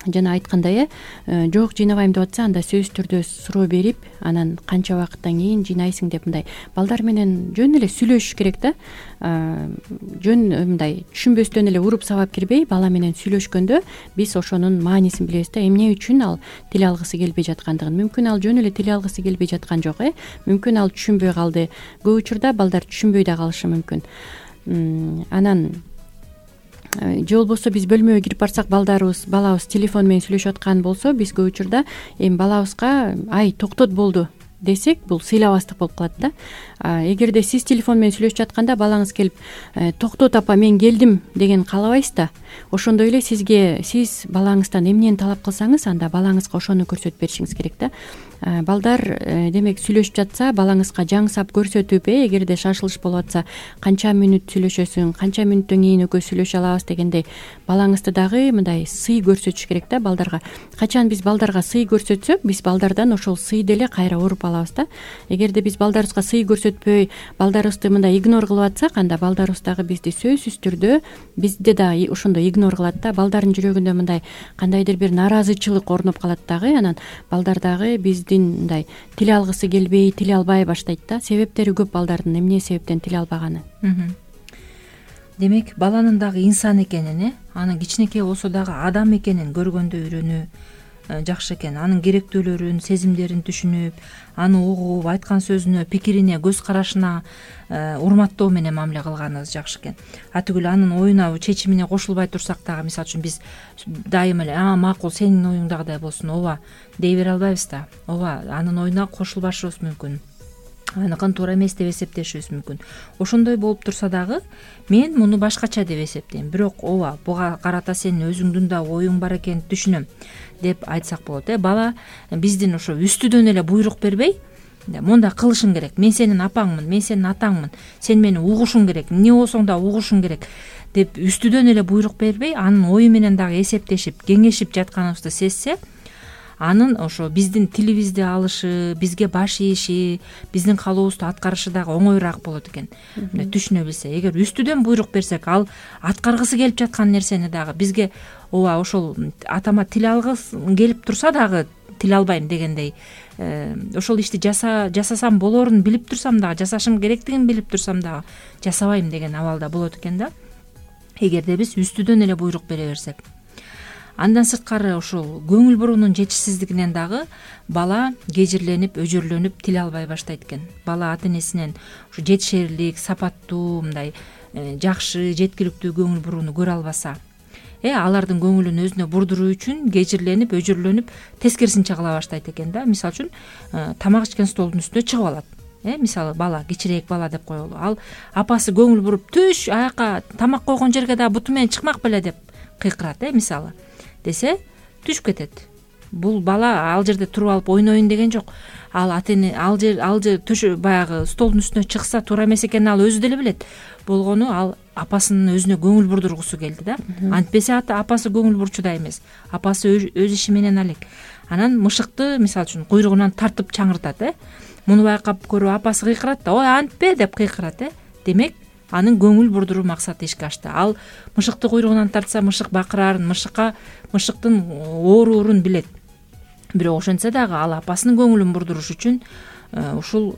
жана айткандай, э жок жыйнабайм деп атса, анда сөзсүз түрдө суроо берип, анан канча убакыттан кийин жыйнайсың деп мындай балдар менен жөн эле сүйлөшүш керек да. Жөн мындай түшүнбөстөн эле уруп сабап кирбей, бала менен сүйлөшкөндө биз ошонун маанисин билебиз да, эмне үчүн ал тил алгысы келбей жаткандыгын. Мүмкүн ал жөн эле тил алгысы келбей жаткан жок, э мүмкүн ал түшүнбөй калды. Көп учурда балдар түшүнбөй да калышы мүмкүн. Анан же болбосо биз бөлмөгө кирип барсак, балдарыбыз балабыз телефон менен сүйлөшүп аткан болсо, биз көп учурда эми балабызга ай токтот болду десек, бул сыйлабастык болуп калат да. Эгерде сиз телефон менен сүйлөшүп жатканда балаңыз келип токтот апа мен келдим деген каалабайсыз да, ошондой эле сизге сиз балаңыздан эмнени талап кылсаңыз, анда балаңызга ошону көрсөтүп беришиңиз керек да. Балдар демек сүйлөшүп жатса, балаңызга жаңсап көрсөтүп, э эгерде шашылыш болуп атса, канча мүнөт сүйлөшөсүң, канча мүнөттөн кийин экөө сүйлөшө алабыз дегендей балаңызды дагы мындай сый көрсөтүш керек да балдарга. Качан биз балдарга сый көрсөтсөк, биз балдардан ошол сыйды эле кайра уруп алабыз да. Эгерде биз балдарыбызга сый көрсөтпөй, балдарыбызды мындай игнор кылып атсак, анда балдарыбыз дагы бизди сөзсүз түрдө бизди да ошондой игнор кылат да. Балдардын жүрөгүндө мындай кандайдыр бир нааразычылык орноп калат дагы. Анан балдар дагы биз мындай тил алгысы келбей, тил албай баштайт да. Себептери көп балдардын эмне себептен тил албаганы. Демек баланын дагы инсан экенин, э анын кичинекей болсо дагы адам экенин көргөндө үйрөнүү жакшы экен. Анын керектүүлөрүн, сезимдерин түшүнүп, аны угуп, айткан сөзүнө, пикирине, көз карашына урматтоо менен мамиле кылганыбыз жакшы экен. Атүгүл анын оюна, чечимине кошулбай турсак дагы, мисалы үчүн биз дайыма эле а макул сенин оюңдагыдай болсун, ооба дей бере албайбыз да. Ооба анын оюна кошулбашыбыз мүмкүн, аныкын туура эмес деп эсептешибиз мүмкүн. Ошондой болуп турса дагы мен муну башкача деп эсептейм, бирок ооба буга карата сенин өзүңдүн да оюң бар экенин түшүнөм деп айтсак болот. Э бала биздин ошо үстүдөн эле буйрук бербей, монда кылышың керек, мен сенин апаңмын, мен сенин атаңмын, сен мени угушуң керек, эмне болсоң да угушуң керек деп үстүдөн эле буйрук бербей, анын ою менен дагы эсептешип, кеңешип жатканыбызды сезсе, анын ошо биздин тилибизди алышы, бизге баш ийиши, биздин каалообузду аткарышы дагы оңоюраак болот экен. Мындай түшүнө билсе, эгер үстүдөн буйрук берсек, ал аткаргысы келип жаткан нерсени дагы бизге ооба ошол атама тил алгыс келип турса дагы тил албайм дегендей, ошол ишти жаса жасасам болорун билип турсам дагы, жасашым керектигин билип турсам дагы жасабайм деген абалда болот экен да, эгерде биз үстүдөн эле буйрук бере берсек. Андан сырткары ушул көңүл буруунун жетишсиздигинен дагы бала кежирленип, өжөрлөнүп тил албай баштайт экен. Бала ата энесинен ушу жетишерлик, сапаттуу, мындай жакшы, жеткиликтүү көңүл бурууну көрө албаса, э алардын көңүлүн өзүнө бурдуруу үчүн кежирленип, өжөрлөнүп, тескерисинче кыла баштайт экен да. Мисалы үчүн тамак ичкен столдун үстүнө чыгып алат. Э мисалы бала, кичирээк бала деп коелу. Ал апасы көңүл буруп, түш, аяка тамак койгон жерге дагы буту менен чыкмак беле деп кыйкырат, э мисалы. Десе түшүп кетет. бул бала ал жерде туруп алып ойнойн деген жок. Ал ата эне ал жер ал жер төшө баягы столдун үстүнө чыкса туура эмес экенин ал өзү деле билет. Болгону ал апасынын өзүнө көңүл бурдургусу келди да. Антпесе ата апасы көңүл бурчудай эмес. Апасы өз иши менен алек. Анан мышыкты мисалы үчүн куйругунан тартып чаңыртат, э. Муну байкап көрүп апасы кыйкырат да, ой антпе деп кыйкырат, э. Демек анын көңүл бурдуруу максаты ишке ашты. Ал мышыкты куйругунан тартса мышык бакырарын, мышыкка мышыктын оорурун билет. Бирок ошентсе дагы ал апасынын көңүлүн бурдуруш үчүн ушул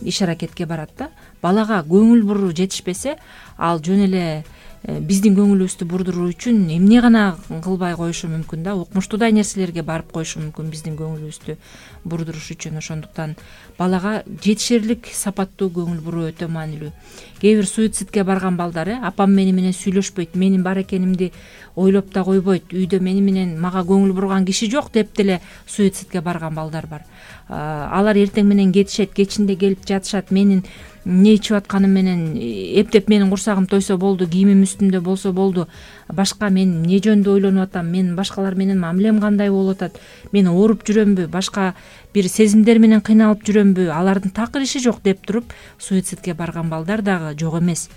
иш аракетке барат да. Балага көңүл буруу жетишпесе, ал жөн эле биздин көңүлүбүздү бурдуруу үчүн эмне гана кылбай коюшу мүмкүн да. Укмуштуудай нерселерге барып коюшу мүмкүн биздин көңүлүбүздү бурдуруш үчүн. Ошондуктан балага жетишерлик сапаттуу көңүл буруу өтө маанилүү. Кээ бир суицидке барган балдар, э, апам мени менен сүйлөшпөйт, менин бар экенимди ойлоп да койбойт, үйдө мени менен мага көңүл бурган киши жок деп деле суицидке барган балдар бар. Алар эртең менен кетишет, кечинде келип жатышат, менин эмне ичип атканым менен эптеп менин курсагым тойсо болду, кийимим үстүмдө болсо болду, башка мен эмне жөнүндө ойлонуп атам, менин башкалар менен мамилем кандай болуп атат, мен ооруп жүрөмбү, башка бир сезимдер менен кыйналып жүрөмбү, алардын такыр иши жок деп туруп суицидке барган балдар дагы жок эмес.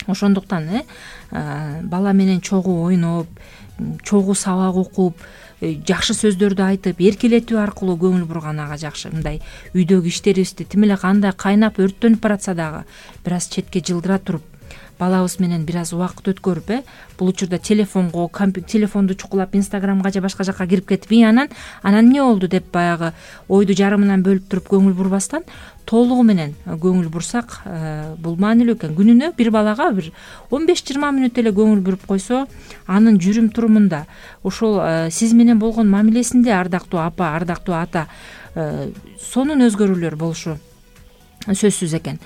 Ошондуктан э бала менен чогуу ойноп, чогуу сабак окуп, жакшы сөздөрдү айтып, эркелетүү аркылуу көңүл бурган ага жакшы. Мындай үйдөгү иштерибизди тим эле кандай кайнап өрттөнүп баратса дагы бир аз четке жылдыра туруп, балабыз менен бир аз убакыт өткөрүп, э бул учурда телефонго, компьютер телефонду чукулап Инстаграмга же башка жакка кирип кетип, и анан анан эмне болду деп баягы ойду жарымынан бөлүп туруп көңүл бурбастан толугу менен көңүл бурсак, бул маанилүү экен. Күнүнө бир балага бир он беш жыйырма мүнөт эле көңүл буруп койсо, анын жүрүм турумунда, ошол сиз менен болгон мамилесинде ардактуу апа, ардактуу ата, сонун өзгөрүүлөр болушу сөзсүз экен.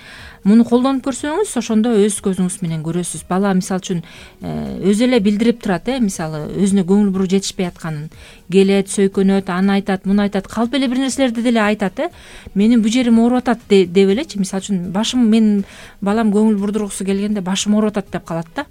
Муну колдонуп көрсөңүз, ошондо өз көзүңүз менен көрөсүз. Бала мисалы үчүн өзү эле билдирип турат, э мисалы өзүнө көңүл буруу жетишпей атканын. Келет, сөйкөнөт, аны айтат, муну айтат, калп эле бир нерселерди деле айтат, э менин бул жерим ооруп атат деп элечи, мисалы үчүн башым, мен балам көңүл бурдургусу келгенде башым ооруп атат деп калат да.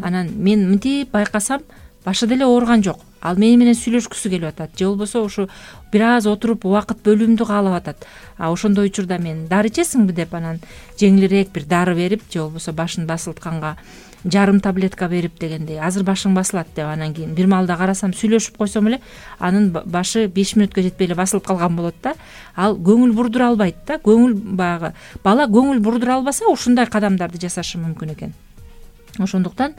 Анан мен мынтип байкасам башы деле ооруган жок. Ал мени менен сүйлөшкүсү келип атат, же болбосо ушу бир аз отуруп убакыт бөлүүмдү каалап атат. А ошондой учурда мен дары ичесиңби деп анан жеңилирээк бир дары берип, же болбосо башын басылтканга жарым таблетка берип дегендей, азыр башың басылат деп, анан кийин бир маалда карасам сүйлөшүп койсом эле анын башы беш мүнөткө жетпей эле басылып калган болот да. Ал көңүл бурдура албайт да. Көңүл баягы бала көңүл бурдура албаса ушундай кадамдарды жасашы мүмкүн экен. Ошондуктан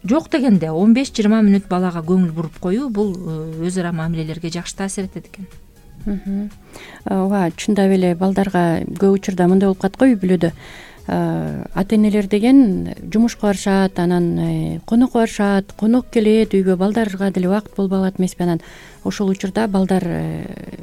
жок дегенде он беш жыйырма мүнөт балага көңүл буруп коюу бул өз ара мамилелерге жакшы таасир этет экен. Ооба, чындап эле балдарга көп учурда мындай болуп калат го үй бүлөдө. Ата энелер деген жумушка барышат, анан конокко барышат, конок келет үйгө, балдарга деле убакыт болбой калат эмеспи. Анан ошол учурда балдар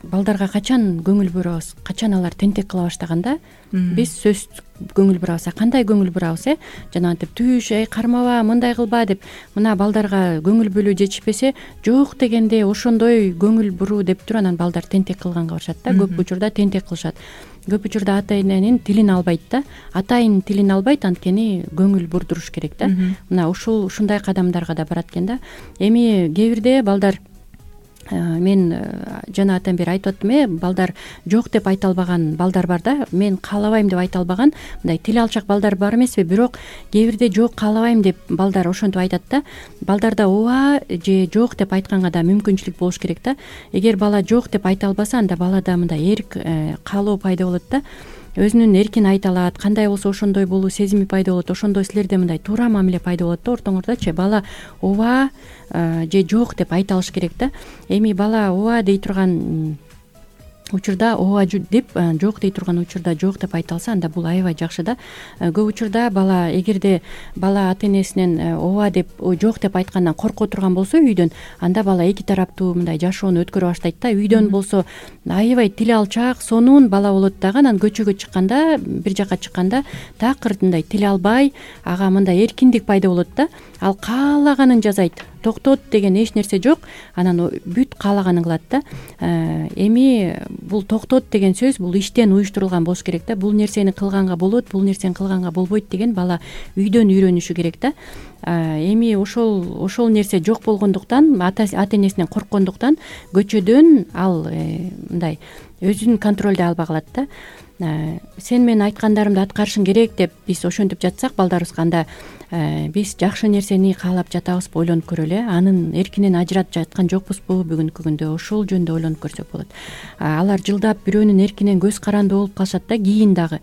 балдарга качан көңүл бурабыз, качан алар тентек кыла баштаганда биз сөз көңүл бурабыз. Кандай көңүл бурабыз, э жанагынтип түш, эй кармаба, мындай кылба деп, мына балдарга көңүл бөлүү жетишпесе, жок дегенде ошондой көңүл буруу деп туруп анан балдар тентек кылганга барышат да. Көп учурда тентек кылышат. Көп учурда ата эненин тилин албайт да. Атайын тилин албайт, анткени көңүл бурдуруш керек да. Мына ушул ушундай кадамдарга да барат экен да. Эми кээ бирде балдар, мен жана атан бери айтып аттым, э балдар жок деп айта албаган балдар бар да. Мен каалабайм деп айта албаган мындай тил алчак балдар бар эмеспи, бирок кээ бирде жок каалабайм деп балдар ошентип айтат да. Балдарда ооба же жок деп айтканга да мүмкүнчүлүк болуш керек да. Эгер бала жок деп айта албаса, анда балада мындай эрк, каалоо пайда болот да. Өзүнүн эркин айта алат, кандай болсо ошондой болуу сезими пайда болот, ошондой силерде мындай туура мамиле пайда болот да ортоңордочу. Бала ооба же жок деп айта алыш керек да. Эми бала ооба дей турган учурда ооба деп, жок дей турган учурда жок деп айта алса, анда бул аябай жакшы да. Көп учурда бала, эгерде бала ата энесинен ооба деп, жок деп айткандан корко турган болсо үйдөн, анда бала эки тараптуу мындай жашоону өткөрө баштайт да. Үйдөн болсо аябай тил алчак, сонун бала болот дагы, анан көчөгө чыкканда, бир жакка чыкканда такыр мындай тил албай, ага мындай эркиндик пайда болот да. Ал каалаганын жасайт, токтот деген эч нерсе жок, анан бүт каалаганын кылат да. Эми бул токтот деген сөз бул иштен уюштурулган болуш керек да. Бул нерсени кылганга болот, бул нерсени кылганга болбойт деген бала үйдөн үйрөнүшү керек да. эми ошол ошол нерсе жок болгондуктан, ата энесинен корккондуктан көчөдөн ал мындай өзүн контролдой албай калат да. Сен менин айткандарымды аткарышың керек деп биз ошентип жатсак балдарыбызга, анда биз жакшы нерсени каалап жатабызбы ойлонуп көрөлү э анын эркинен ажыратып жаткан жокпузбу бүгүнкү күндө, ошол жөнүндө ойлонуп көрсөк болот. Алар жылдап бирөөнүн эркинен көз каранды болуп калышат да, кийин дагы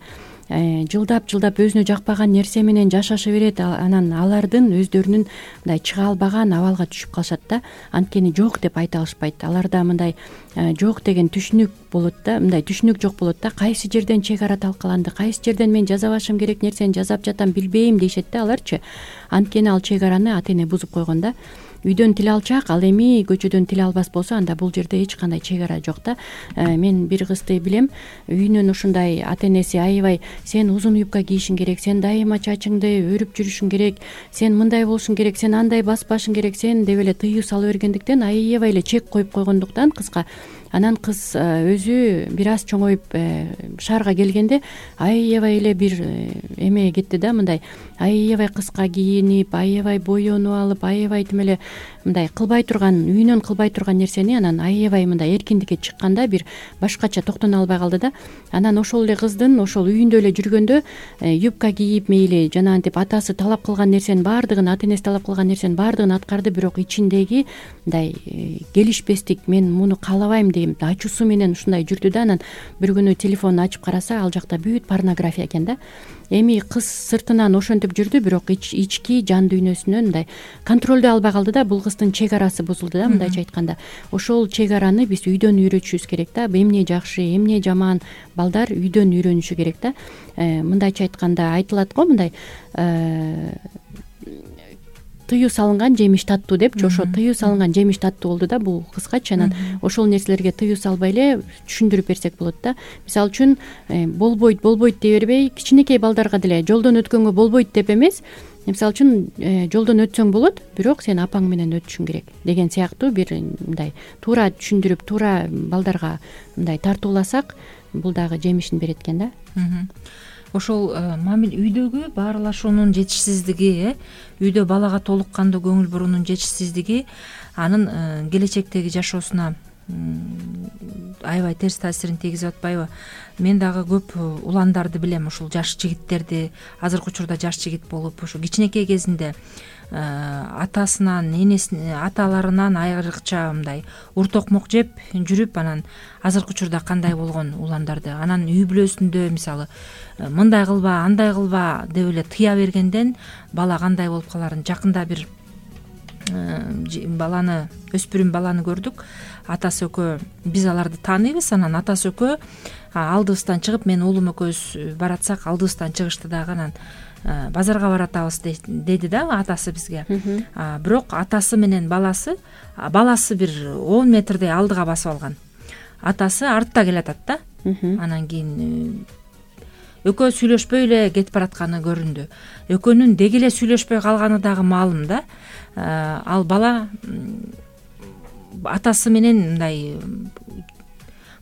жылдап жылдап өзүнө жакпаган нерсе менен жашаша берет. Анан алардын өздөрүнүн мындай чыга албаган абалга түшүп калышат да. Анткени жок деп айта алышпайт. Аларда мындай жок деген түшүнүк болот да, мындай түшүнүк жок болот да. Кайсы жерден чек ара талкаланды, кайсы жерден мен жазабашым керек нерсени жазап жатам, билбейм дейшет да аларчы. Анткени ал чек араны ата эне бузуп койгон да. Үйдөн тил алчак, ал эми көчөдөн тил албас болсо, анда бул жерде эч кандай чек ара жок да. Мен бир кызды билем, үйүнөн ушундай ата энеси аябай сен узун юбка кийишиң керек, сен дайыма чачыңды өрүп жүрүшүң керек, сен мындай болушуң керек, сен андай баспашың керек, сен деп эле тыюу салып бергендиктен аябай эле чек коюп койгондуктан кызга, анан кыз өзү бир аз чоңоюп шаарга келгенде аябай эле бир эме кетти да, мындай аябай кыска кийинип, аябай боенуп алып, аябай тим эле мындай кылбай турган, үйүнөн кылбай турган нерсени анан аябай мындай эркиндикке чыкканда бир башкача токтоно албай калды да. Анан ошол эле кыздын ошол үйүндө эле жүргөндө юбка кийип, мейли жанагынтип атасы талап кылган нерсенин баардыгын, ата энеси талап кылган нерсенин баардыгын аткарды, бирок ичиндеги мындай келишпестик, мен муну каалабайм деген ачуусу менен ушундай жүрдү да. Анан бир күнү телефонун ачып караса, ал жакта бүт порнография экен да. Эми кыз сыртынан ошентип жүрдү, бирок ички жан дүйнөсүнөн мындай контролдой албай калды да. Бул кыздын чек арасы бузулду да, мындайча айтканда. Ошол чек араны биз үйдөн үйрөтүшүбүз керек да. Эмне жакшы, эмне жаман, балдар үйдөн үйрөнүшү керек да. Мындайча айтканда айтылат го, мындай тыюу салынган жемиш таттуу депчи. Ошо тыюу салынган жемиш таттуу болду да бул кызгачы. Анан ошол нерселерге тыюу салбай эле түшүндүрүп берсек болот да. Мисалы үчүн болбойт болбойт дей бербей, кичинекей балдарга деле жолдон өткөнгө болбойт деп эмес, мисалы үчүн жолдон өтсөң болот, бирок сен апаң менен өтүшүң керек деген сыяктуу бир мындай туура түшүндүрүп, туура балдарга мындай тартууласак, бул дагы жемишин берет экен да. Ошол мамил үйдөгү баарлашуунун жетишсиздиги, үйдө балага толук кандуу көңүл буруунун жетишсиздиги анын келечектеги жашоосуна аябай терс таасирин тийгизип атпайбы? Мен дагы көп уландарды билем, ушул жаш жигиттерди, азыркы учурда жаш жигит болуп, ушу кичинекей кезинде атасынан, энесинен, аталарынан айрыкча мындай ур токмок жеп жүрүп, анан азыркы учурда кандай болгон уландарды, анан үй бүлөсүндө мисалы мындай кылба, андай кылба деп эле тыя бергенден бала кандай болуп каларын. Жакында бир баланы, өспүрүм баланы көрдүк. Атасы экөө, биз аларды тааныйбыз, анан атасы экөө алдыбыздан чыгып, мен уулум экөөбүз баратсак алдыбыздан чыгышты дагы, анан базарга баратабыз деди да атасы бизге. Бирок атасы менен баласы, баласы бир он метрдей алдыга басып алган. Атасы артта келатат да. Анан кийин экөө сүйлөшпөй эле кетип баратканы көрүндү. Экөөнүн деги эле сүйлөшпөй калганы дагы маалым да. Ал бала атасы менен мындай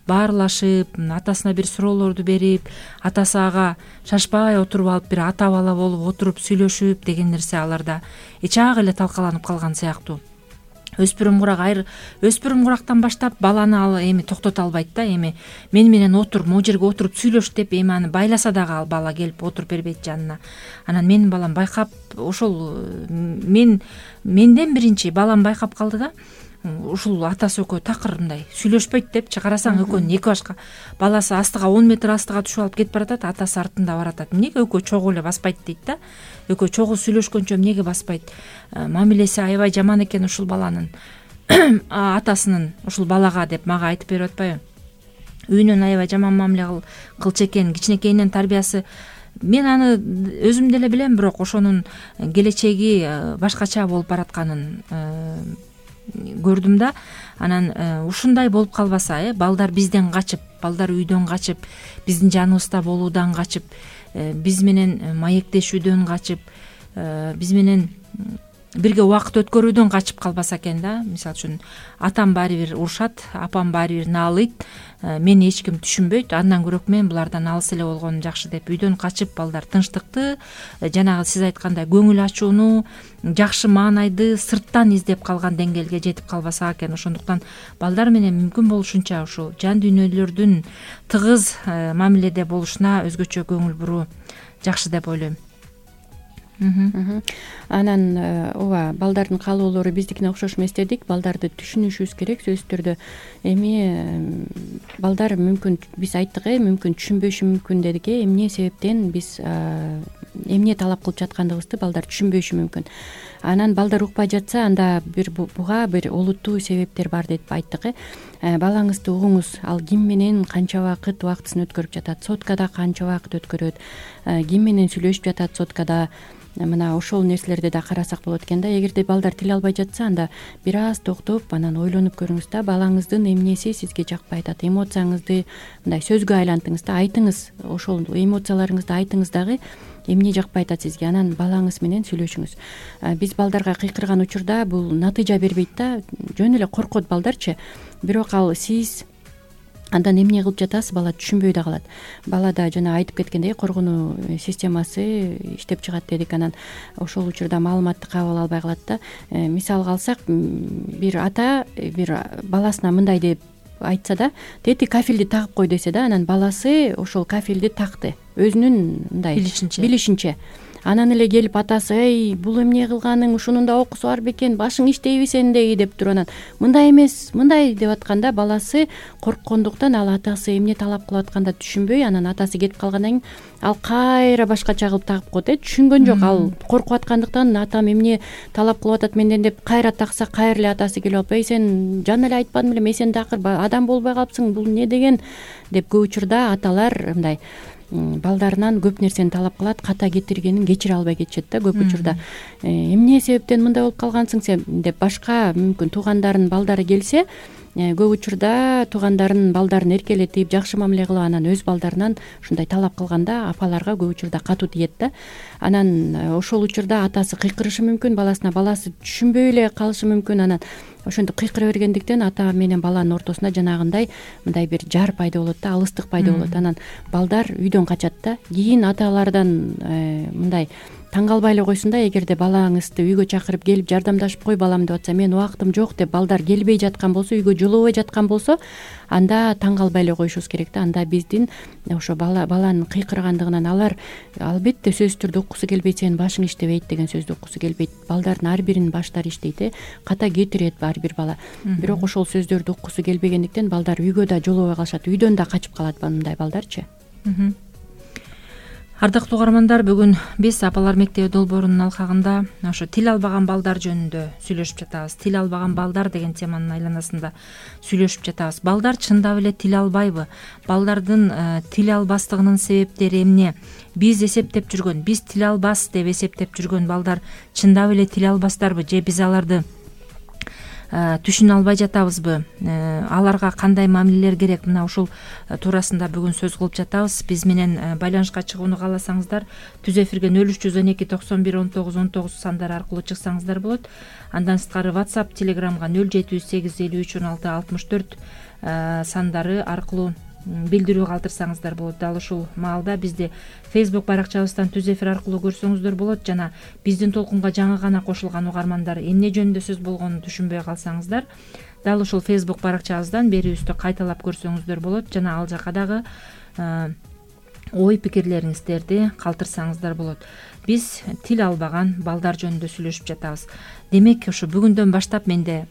баарлашып, атасына бир суроолорду берип, атасы ага шашпай отуруп алып, бир ата бала болуп отуруп сүйлөшүп деген нерсе аларда эчак эле талкаланып калган сыяктуу. Өспүрүм курак айр өспүрүм курактан баштап баланы ал эми токтото албайт да. Эми мен менен отур, могу жерге отуруп сүйлөш деп эми аны байласа дагы ал бала келип отуруп бербейт жанына. Анан менин балам байкап, ошол мен менден биринчи балам байкап калды да. Ушул атасы экөө такыр мындай сүйлөшпөйт депчи, карасаң экөөнүн эки башка баласы астыга он метр астыга түшүп алып кетип баратат, атасы артында баратат. Эмнеге экөө чогуу эле баспайт дейт да. Экөө чогуу сүйлөшкөнчө эмнеге баспайт? Мамилеси аябай жаман экен ушул баланын, атасынын ушул балага деп мага айтып берип атпайбы? Үйүнөн аябай жаман мамиле кылчу экен, кичинекейинен тарбиясы. Мен аны өзүм деле билем, бирок ошонун келечеги башкача болуп баратканын көрдүм да. Анан ушундай болуп калбаса, э балдар бизден качып, балдар үйдөн качып, биздин жаныбызда болуудан качып, биз менен маектешүүдөн качып, биз менен бирге убакыт өткөрүүдөн качып калбаса экен да. Мисалы үчүн атам баары бир урушат, апам баары бир наалыйт, мени эч ким түшүнбөйт, андан көрөк мен булардан алыс эле болгонум жакшы деп үйдөн качып балдар тынчтыкты, жанагы сиз айткандай көңүл ачууну, жакшы маанайды сырттан издеп калган деңгээлге жетип калбаса экен. Ошондуктан балдар менен мүмкүн болушунча ушул жан дүйнөлөрдүн тыгыз мамиледе болушуна өзгөчө көңүл буруу жакшы деп ойлойм. Анан ооба, балдардын каалоолору биздикине окшош эмес дедик. Балдарды түшүнүшүбүз керек сөзсүз түрдө. Эми балдар мүмкүн биз айттык э, мүмкүн түшүнбөшү мүмкүн дедик э. Эмне себептен биз эмне талап кылып жаткандыгыбызды балдар түшүнбөшү мүмкүн. Анан балдар укпай жатса, анда бир буга бир олуттуу себептер бар деп айттык э. Балаңызды угуңуз, ал ким менен канча убакыт убактысын өткөрүп жатат, соткада канча убакыт өткөрөт, ким менен сүйлөшүп жатат соткада. Мына ошол нерселерди да карасак болот экен да. Эгерде балдар тил албай жатса, анда бир аз токтоп, анан ойлонуп көрүңүз да. Балаңыздын эмнеси сизге жакпай атат, эмоцияңызды мындай сөзгө айлантыңыз да, айтыңыз, ошол эмоцияларыңызды айтыңыз дагы, эмне жакпай атат сизге. Анан балаңыз менен сүйлөшүңүз. Биз балдарга кыйкырган учурда бул натыйжа бербейт да, жөн эле коркот балдарчы. Бирок ал сиз андан эмне кылып жатасыз, бала түшүнбөй да калат. Балада жана айтып кеткендей коргонуу системасы иштеп чыгат дедик. Анан ошол учурда маалыматты кабыл албай калат да. Мисалга алсак, бир ата бир баласына мындай деп айтса да, тети кафелди тагып кой десе да, анан баласы ошол кафелди такты өзүнүн мындай билишинче билишинче. Анан эле келип атасы: эй, бул эмне кылганың, ушунун да окуусу бар бекен, башың иштейби сендеги деп туруп, анан мындай эмес, мындай деп атканда баласы корккондуктан ал атасы эмне талап кылып атканда түшүнбөй, анан атасы кетип калгандан кийин ал кайра башкача кылып тагып коет э. Түшүнгөн жок, ал коркуп аткандыктан атам эмне талап кылып атат менден деп кайра такса, кайра эле атасы келип алып: эй, сен жана эле айтпадым белем, эй, сен дакыр адам болбой калыпсың, бул эмне деген деп. Көп учурда аталар мындай балдарынан көп нерсени талап кылат, ката кетиргенин кечире албай кетишет да. Көп учурда эмне себептен мындай болуп калгансың сен деп башка мүмкүн туугандардын балдары келсе, көп учурда туугандарын балдарын эркелетип, жакшы мамиле кылып, анан өз балдарынан ушундай талап кылганда апаларга көп учурда катуу тиет да. Анан ошол учурда атасы кыйкырышы мүмкүн баласына, баласы түшүнбөй эле калышы мүмкүн. Анан ошентип кыйкыра бергендиктен ата менен баланын ортосунда жанагындай мындай бир жар пайда болот да, алыстык пайда болот. Анан балдар үйдөн качат да. Кийин аталардан мындай таң калбай эле койсун да, эгерде балаңызды үйгө чакырып келип жардамдашып кой балам деп атса, мен убактым жок деп балдар келбей жаткан болсо, үйгө жолобой жаткан болсо, анда таң калбай эле коюшубуз керек да. Анда биздин ошо бала баланын кыйкыргандыгынан алар албетте сөзсүз түрдө уккусу келбейт, сенин башың иштебейт деген сөздү уккусу келбейт. Балдардын ар биринин баштары иштейт э, ката кетирет ар бир бала. Бирок ошол сөздөрдү уккусу келбегендиктен балдар үйгө да жолобой калышат, үйдөн да качып калат мындай балдарчы. Ардактуу угармандар, бүгүн биз Апалар мектеби долбоорунун алкагында ошо тил албаган балдар жөнүндө сүйлөшүп жатабыз. Тил албаган балдар деген теманын айланасында сүйлөшүп жатабыз. Балдар чындап эле тил албайбы? Балдардын тил албастыгынын себептери эмне? Биз эсептеп жүргөн, биз тил албас деп эсептеп жүргөн балдар чындап эле тил албастарбы же биз аларды түшүнө албай жатабызбы? Аларга кандай мамилелер керек? Мына ушул туурасында бүгүн сөз кылып жатабыз. Биз менен байланышка чыгууну кааласаңыздар, түз эфирге нөл үч жүз он эки токсон бир он тогуз он тогуз сандары аркылуу чыксаңыздар болот. Андан сырткары WhatsApp, Telegramга нөл жети жүз сегиз элүү үч он алты алтымыш төрт сандары аркылуу билдирүү калтырсаңыздар болот. Дал ушул маалда бизди Facebook баракчабыздан түз эфир аркылуу көрсөңүздөр болот. Жана биздин толкунга жаңы гана кошулган угармандар эмне жөнүндө сөз болгонун түшүнбөй калсаңыздар, дал ушул Facebook баракчабыздан берүүбүздү кайталап көрсөңүздөр болот. Жана ал жака дагы ой пикирлериңиздерди калтырсаңыздар болот. Биз тил албаган балдар жөнүндө сүйлөшүп жатабыз. Демек, ошо бүгүндөн баштап менде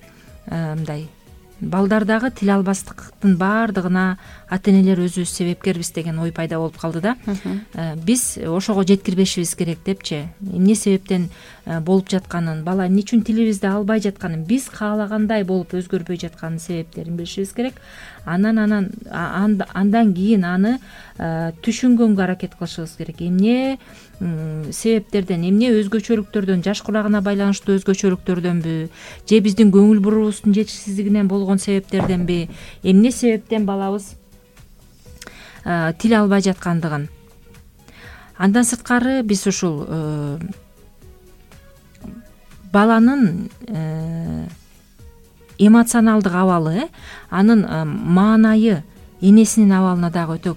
мындай балдардагы тил албастыктын баардыгына ата-энелер өзүбүз себепкербиз деген ой пайда болуп калды да. Биз ошого жеткирбешибиз керек депчи. Эмне себептен болуп жатканын, бала эмне үчүн тилибизди албай жатканын, биз каалагандай болуп өзгөрбөй жатканын себептерин билишибиз керек. Анан анан андан кийин аны түшүнгөнгө аракет кылышыбыз керек. Эмне себептерден, эмне өзгөчөлүктөрдөн, жаш кулагына байланыштуу өзгөчөлүктөрдөнбү, же биздин көңүл буруубуздун жетишсиздигинен болгон себептерденби, эмне себептен балабыз тил албай жаткандыгын. Андан сырткары биз ушул баланын эмоционалдык абалы, э анын маанайы энесинин абалына дагы өтө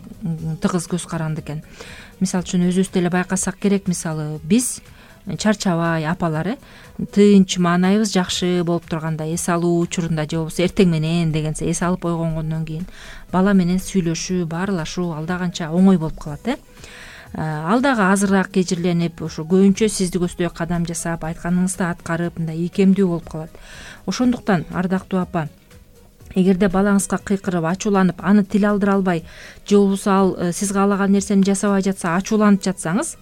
тыгыз көз каранды экен. Мисалы үчүн өзүбүз деле байкасак керек, мисалы биз чарчабай апалар э тынч, маанайыбыз жакшы болуп турганда, эс алуу учурунда же болбосо эртең менен дегенсе эс алып койгондон кийин бала менен сүйлөшүү, баарлашуу алда канча оңой болуп калат. э Ал дагы азыраак кежирленип, ошо көбүнчө сизди көздөй кадам жасап, айтканыңызды аткарып, мындай ийкемдүү болуп калат. Ошондуктан ардактуу апа, эгерде балаңызга кыйкырып, ачууланып, аны тил алдыра албай, же болбосо ал сиз каалаган нерсени жасабай жатса, ачууланып жатсаңыз,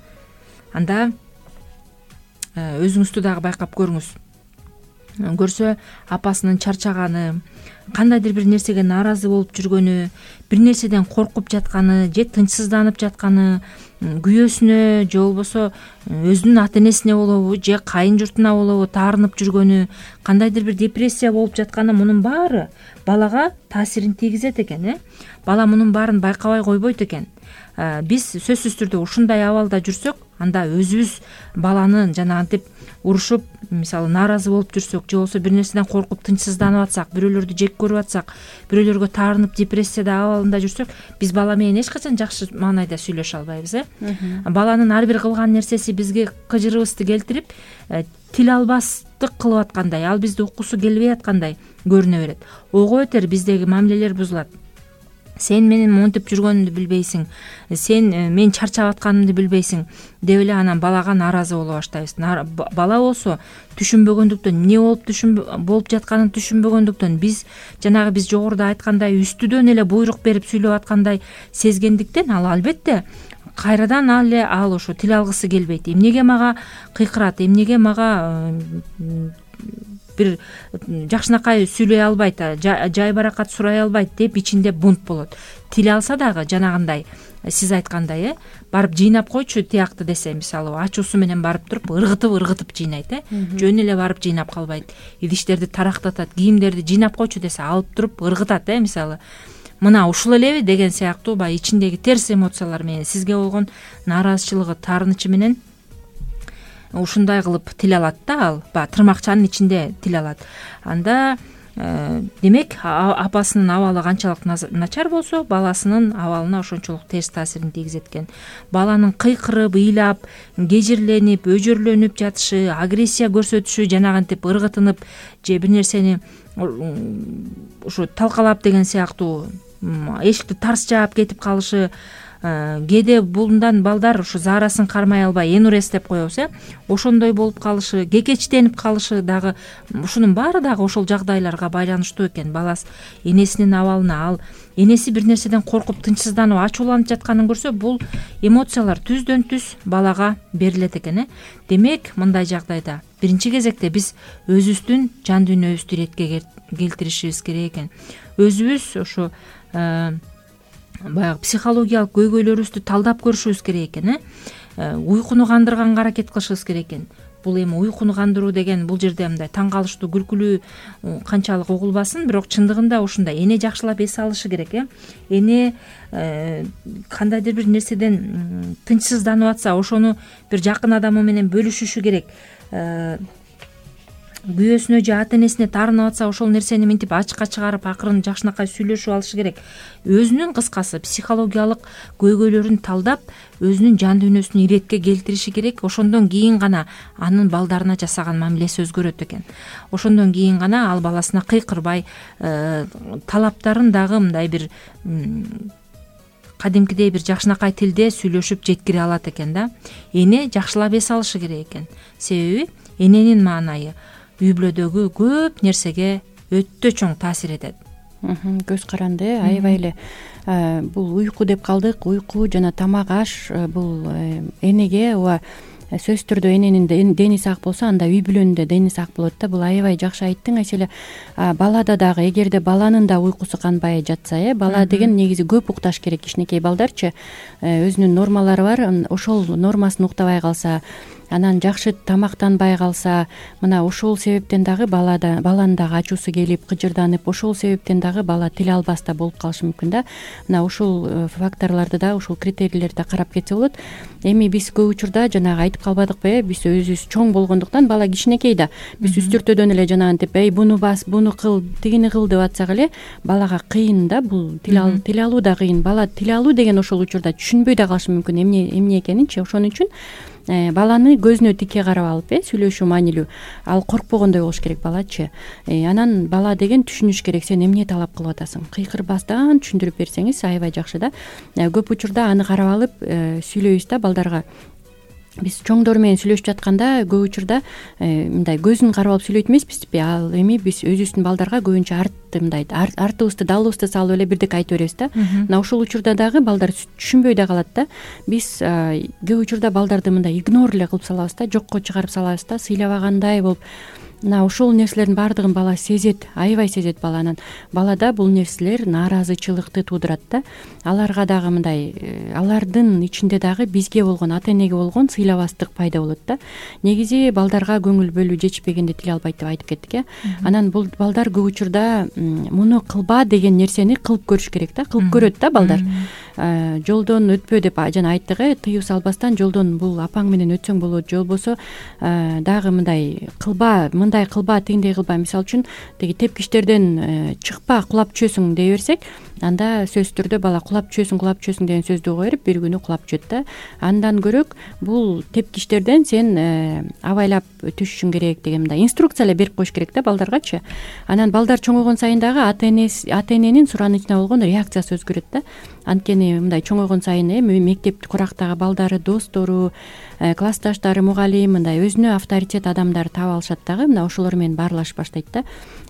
анда өзүңүздү дагы байкап көрүңүз. Көрсө апасынын чарчаганы, кандайдыр бир нерсеге нааразы болуп жүргөнү, бир нерседен коркуп жатканы, же тынчсызданып жатканы, күйөөсүнө же болбосо өзүнүн ата энесине болобу, же кайын журтуна болобу таарынып жүргөнү, кандайдыр бир депрессия болуп жатканы, мунун баары балага таасирин тийгизет экен. э Бала мунун баарын байкабай койбойт экен. Биз сөзсүз түрдө ушундай абалда жүрсөк, анда өзүбүз баланы жанагынтип урушуп, мисалы нааразы болуп жүрсөк, же болбосо бир нерседен коркуп тынчсызданып атсак, бирөөлөрдү жек көрүп атсак, бирөөлөргө таарынып депрессияда абалында жүрсөк, биз бала менен эч качан жакшы маанайда сүйлөшө албайбыз. э Баланын ар бир кылган нерсеси бизге кыжырыбызды келтирип, тил албастык кылып аткандай, ал бизди уккусу келбей аткандай көрүнө берет. Ого бетер биздеги мамилелер бузулат. Сен менин монтип жүргөнүмдү билбейсиң, сен мен чарчап атканымды билбейсиң деп эле анан балага нааразы боло баштайбыз. Бала болсо түшүнбөгөндүктөн, эмне болуп түшүн болуп жатканын түшүнбөгөндүктөн, биз жанагы биз жогоруда айткандай үстүдөн эле буйрук берип сүйлөп аткандай сезгендиктен, ал албетте кайрадан ал эле ал ошо тил алгысы келбейт. Эмнеге мага кыйкырат, эмнеге мага бир жакшынакай сүйлөй албайт, жай баракат сурай албайт деп ичинде бунт болот. Тил алса дагы жанагындай сиз айткандай, э барып жыйнап койчу тиякты десе, мисалы ачуусу менен барып туруп ыргытып ыргытып жыйнайт, э жөн эле барып жыйнап калбайт. Идиштерди тарактатат, кийимдерди жыйнап койчу десе, алып туруп ыргытат, э мисалы мына ушул элеби деген сыяктуу баягы ичиндеги терс эмоциялар менен, сизге болгон нааразычылыгы, таарынычы менен ушундай кылып тил алат да, ал баягы тырмакчанын ичинде тил алат. Анда демек апасынын абалы канчалык начар болсо, баласынын абалына ошончолук терс таасирин тийгизет экен. Баланын кыйкырып, ыйлап, кежирленип, өжөрлөнүп жатышы, агрессия көрсөтүшү, жанагынтип ыргытынып, же бир нерсени ушу талкалап деген сыяктуу эшикти тарс жаап кетип калышы, кээде булундан балдар ушу заарасын кармай албай энурез деп коебуз, э ошондой болуп калышы, кекечтенип калышы дагы, ушунун баары дагы ошол жагдайларга байланыштуу экен. Баласы энесинин абалына, ал энеси бир нерседен коркуп тынчсызданып, ачууланып жатканын көрсө, бул эмоциялар түздөн түз балага берилет экен. э Демек, мындай жагдайда биринчи кезекте биз өзүбүздүн жан дүйнөбүздү иретке келтиришибиз керек экен. Өзүбүз ошо баягы психологиялык көйгөйлөрүбүздү талдап көрүшүбүз керек экен. э Уйкуну кандырганга аракет кылышыбыз керек экен. Бул эми уйкуну кандыруу деген бул жерде мындай таң калыштуу, күлкүлүү канчалык угулбасын, бирок чындыгында ушундай. Эне жакшылап эс алышы керек, э Эне кандайдыр бир нерседен тынчсызданып атса, ошону бир жакын адамы менен бөлүшүшү керек. Күйөөсүнө же ата энесине таарынып атса, ошол нерсени мынтип ачыкка чыгарып, акырын жакшынакай сүйлөшүп алышы керек. Өзүнүн кыскасы психологиялык көйгөйлөрүн талдап, өзүнүн жан дүйнөсүн иретке келтириши керек. Ошондон кийин гана анын балдарына жасаган мамилеси өзгөрөт экен. Ошондон кийин гана ал баласына кыйкырбай, талаптарын дагы мындай бир кадимкидей бир жакшынакай тилде сүйлөшүп жеткире алат экен да. Эне жакшылап эс алышы керек экен. Себеби эненин маанайы үй бүлөдөгү көп нерсеге өтө чоң таасир этет. Көз каранды, аябай эле бул уйку деп калдык. Уйку жана тамак аш бул энеге ооба сөзсүз түрдө эненин дени сак болсо, анда үй бүлөнүн да дени сак болот да. Бул аябай жакшы айттың. Эселе балада дагы эгерде баланын да уйкусу канбай жатса, э бала деген негизи көп укташ керек. Кичинекей балдарчы өзүнүн нормалары бар. Ошол нормасын уктабай калса, анан жакшы тамактанбай калса, мына ошол себептен дагы балада баланын дагы ачуусу келип кыжырданып, ошол себептен дагы бала тил албас да болуп калышы мүмкүн да. Мына ушул факторлорду да, ушул критерийлерди да карап кетсе болот. Эми биз көп учурда жанагы айтып калбадыкпы, э, биз өзүбүз чоң болгондуктан бала кичинекей да. Биз үстүртөдөн эле жанагынтип, эй буну бас, буну кыл, тигини кыл деп атсак эле балага кыйын да, бул тил ал тил алуу да кыйын. Бала тил алуу деген ошол учурда түшүнбөй да калышы мүмкүн эмне эмне экенинчи. Ошон үчүн баланы көзүнө тикке карап алып, э сүйлөшүү маанилүү, ал коркпогондой болуш керек балачы. Анан бала деген түшүнүш керек, сен эмне талап кылып атасың, кыйкырбастан түшүндүрүп берсеңиз аябай жакшы да. Көп учурда аны карап алып сүйлөйбүз да балдарга. Биз чоңдор менен сүйлөшүп жатканда көп учурда мындай көзүн карап алып сүйлөйт эмеспизби? Ал эми биз өзүбүздүн балдарга көбүнчө артты мындай артыбызды далыбызды салып эле бирдеке айта беребиз да. Мына ошол учурда дагы балдар түшүнбөй да калат да. Биз көп учурда балдарды мындай игнор эле кылып салабыз да, жокко чыгарып салабыз да, сыйлабагандай болуп. Мына ошол нерселердин баардыгын бала сезет, аябай сезет бала. Анан балада бул нерселер нааразычылыкты туудурат да. Аларга дагы мындай, алардын ичинде дагы бизге болгон, ата энеге болгон сыйлабастык пайда болот да. Негизи балдарга көңүл бөлүү жетишпегенде тил албайт деп айтып кеттик, э. Анан бул балдар көп учурда муну кылба деген нерсени кылып көрүш керек да, кылып көрөт да балдар. Жолдон өтпө деп жана айттык, э, тыюу салбастан жолдон бул апаң менен өтсөң болот, же болбосо дагы мындай кылба, мындай кылба, тигиндей кылба. Мисалы үчүн тиги тепкичтерден чыкпа, кулап түшөсүң дей берсек, анда сөзсүз түрдө бала кулап түшөсүң, кулап түшөсүң деген сөздү уга берип, бир күнү кулап түшөт да. Андан көрөк бул тепкичтерден сен абайлап түшүшүң керек деген мындай инструкция эле берип коюш керек да балдаргачы. Анан балдар чоңойгон сайын дагы ата энеси, ата эненин суранычына болгон реакциясы өзгөрөт да. Анткени мындай чоңойгон сайын эми мектеп курактагы балдары, достору, классташтары, мугалим мындай өзүнө авторитет адамдар таап алышат дагы. Мына ошолор менен баарлашып баштайт да.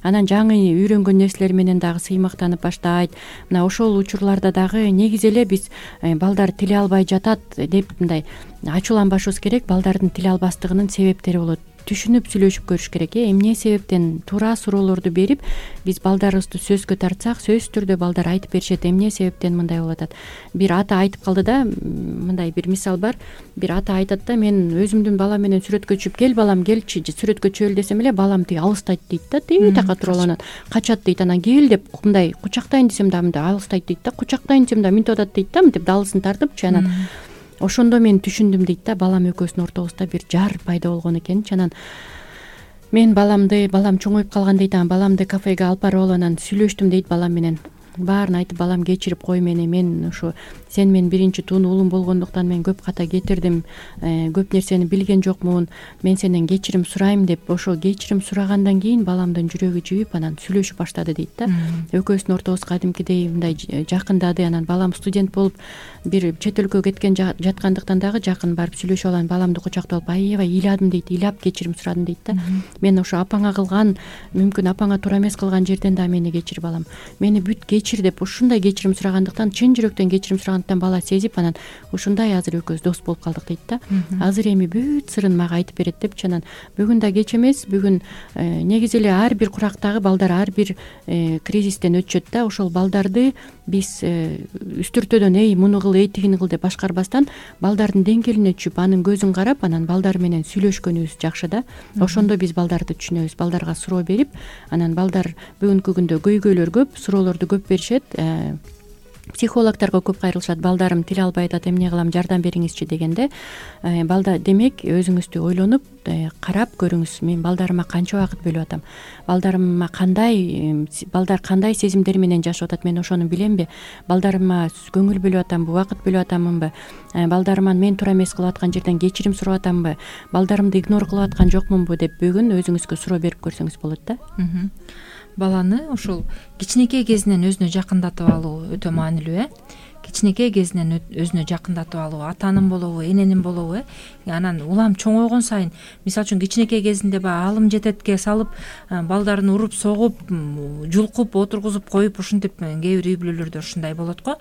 Анан жаңы үйрөнгөн нерселер менен дагы сыймыктанып баштайт. Мына ошол учурларда дагы негизи эле биз балдар тил албай жатат деп мындай ачууланбашыбыз керек. Балдардын тил албастыгынын себептери болот. Түшүнүп сүйлөшүп көрүш керек, э. Эмне себептен туура суроолорду берип, биз балдарыбызды сөзгө тартсак, сөзсүз түрдө балдар айтып беришет, эмне себептен мындай болуп атат. Бир ата айтып калды да, мындай бир мисал бар. Бир ата айтат да, мен өзүмдүн балам менен сүрөткө түшүп, кел балам келчи, сүрөткө түшөлү десем эле балам тиги алыстайт дейт да, тиги така туруп алат, качат дейт. Анан кел деп мындай кучактайын десем да мындай алыстайт дейт да, кучактайын десем да минтип атат дейт да, мынтип далысын тартыпчы. Анан ошондо мен түшүндүм дейт да, балам экөөбүздүн ортобузда бир жар пайда болгон экенчи. Анан мен баламды, балам чоңоюп калган дейт, анан баламды кафеге алып барып алып анан сүйлөштүм дейт балам менен. Баарын айтып, балам кечирип кой мени, мен ушу сен менин биринчи тун уулум болгондуктан мен көп ката кетирдим, көп нерсени билген жокмун, мен сенден кечирим сурайм деп, ошо кечирим сурагандан кийин баламдын жүрөгү жибип анан сүйлөшүп баштады дейт да. Экөөбүздүн ортобуз кадимкидей мындай жакындады. Анан балам студент болуп бир чет өлкөгө кеткен жаткандыктан дагы жакын барып сүйлөшүп алам, баламды кучактап алып аябай ыйладым дейт, ыйлап кечирим сурадым дейт да. Мен ошо апаңа кылган, мүмкүн апаңа туура эмес кылган жерден да мени кечир балам, мени бүт кечир деп ушундай кечирим сурагандыктан, чын жүрөктөн кечирим сурагандыктан бала сезип анан ушундай азыр экөөбүз дос болуп калдык дейт да. Азыр эми бүт сырын мага айтып берет депчи. Анан бүгүн да кеч эмес, бүгүн негизи эле ар бир курактагы балдар ар бир кризистен өтүшөт да. Ошол балдарды биз үстүртөдөн эй муну кыл, эй тигини кыл деп башкарбастан балдардын деңгээлине түшүп, анын көзүн карап, анан балдар менен сүйлөшкөнүбүз жакшы да. Ошондо биз балдарды түшүнөбүз, балдарга суроо берип, анан балдар бүгүнкү күндө көйгөйлөр көп, суроолорду көп беришет. Психологдорго көп кайрылышат, балдарым тил албай атат, эмне кылам, жардам бериңизчи дегенде, балда демек өзүңүздү ойлонуп карап көрүңүз, мен балдарыма канча убакыт бөлүп атам, балдарыма кандай, балдар кандай сезимдер менен жашап атат, мен ошону биlemби, балдарыма көңүл бөлүп атамбы, убакыт бөлүп атамынбы, балдарыман мен туура эмес кылып аткан жерден кечирим сурап атамбы, балдарымды игнор кылып аткан жокмунбу деп бүгүн өзүңүзгө суроо берип көрсөңүз болот да. Баланы ушул кичинекей кезинен өзүнө жакындатып алуу өтө маанилүү, э. Кичинекей кезинен өзүнө жакындатып алуу, атанын болобу, эненин болобу, э. Анан улам чоңойгон сайын, мисалы үчүн кичинекей кезинде баягы алым жететке салып, балдарын уруп, согуп, жулкуп, отургузуп коюп, ушинтип кээ бир үй бүлөлөрдө ушундай болот го.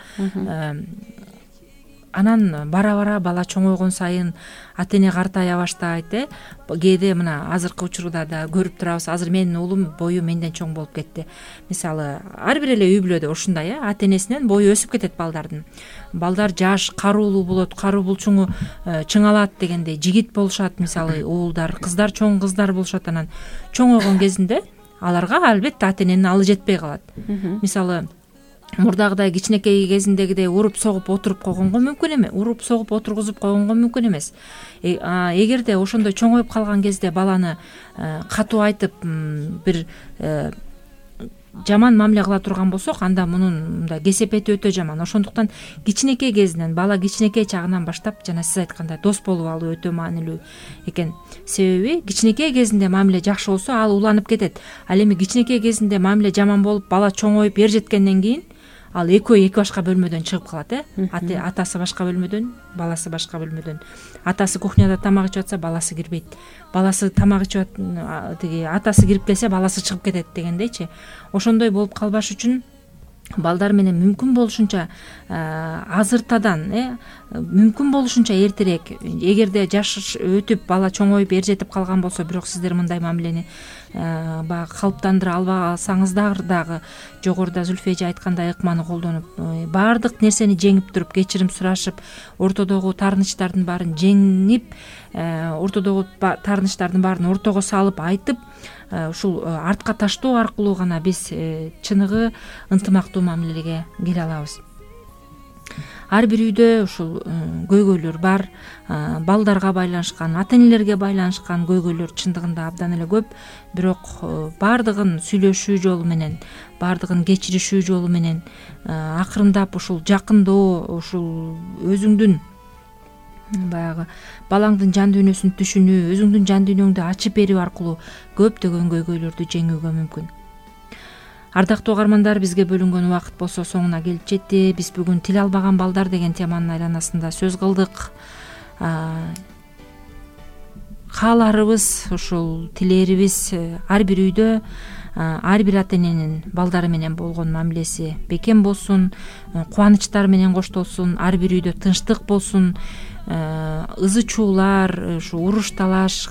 анан бара бара бала чоңойгон сайын ата эне картая баштайт. э кээде мына азыркы учурда да көрүп турабыз. Азыр менин уулум бою менден чоң болуп кетти. Мисалы ар бир эле үй бүлөдө ушундай, э ата энесинен бою өсүп кетет балдардын. Балдар жаш, каруулуу болот, каруу булчуңу чыңалат дегендей жигит болушат. Мисалы уулдар, кыздар, чоң кыздар болушат. Анан чоңойгон кезинде аларга албетте ата эненин алы жетпей калат. Мисалы мурдагыдай кичинекей кезиндегидей уруп согуп отуруп койгонго мүмкүн эмес, уруп согуп отургузуп койгонго мүмкүн эмес. Эгерде ошондой чоңоюп калган кезде баланы катуу айтып бир жаман мамиле кыла турган болсок, анда мунун мындай кесепети өтө жаман. Ошондуктан кичинекей кезинен, бала кичинекей чагынан баштап жана сиз айткандай дос болуп алуу өтө маанилүү экен. Себеби кичинекей кезинде мамиле жакшы болсо, ал уланып кетет. Ал эми кичинекей кезинде мамиле жаман болуп, бала чоңоюп эр жеткенден кийин ал экөө эки башка бөлмөдөн чыгып калат. э Атасы башка бөлмөдөн, баласы башка бөлмөдөн. Атасы кухняда тамак ичип атса, баласы кирбейт. Баласы тамак ичип тиги атасы кирип келсе, баласы чыгып кетет дегендейчи. Ошондой болуп калбаш үчүн балдар менен мүмкүн болушунча азыртадан, э мүмкүн болушунча эртерээк, эгерде жаш өтүп бала чоңоюп эр жетип калган болсо, бирок сиздер мындай мамилени баягы калыптандыра албасаңыздар дагы, жогоруда Зүлфия эже айткандай ыкманы колдонуп, баардык нерсени жеңип туруп, кечирим сурашып, ортодогу таарынычтардын баарын жеңип, ортодогу таарынычтардын баарын ортого салып айтып, ушул артка таштоо аркылуу гана биз чыныгы ынтымактуу мамилеге келе алабыз. Ар бир үйдө ушул көйгөйлөр бар, балдарга байланышкан, ата энелерге байланышкан көйгөйлөр чындыгында абдан эле көп. Бирок баардыгын сүйлөшүү жолу менен, баардыгын кечиришүү жолу менен акырындап ушул жакындоо, ушул өзүңдүн баягы балаңдын жан дүйнөсүн түшүнүү, өзүңдүн жан дүйнөңдү ачып берүү аркылуу көптөгөн көйгөйлөрдү жеңүүгө мүмкүн. Ардактуу угармандар, бизге бөлүнгөн убакыт болсо соңуна келип жетти. Биз бүгүн тил албаган балдар деген теманын айланасында сөз кылдык. Кааларыбыз, ушул тилээрибиз ар бир үйдө ар бир ата эненин балдары менен болгон мамилеси бекем болсун, кубанычтар менен коштолсун, ар бир үйдө тынчтык болсун, ызы чуулар, ушу уруш талаш,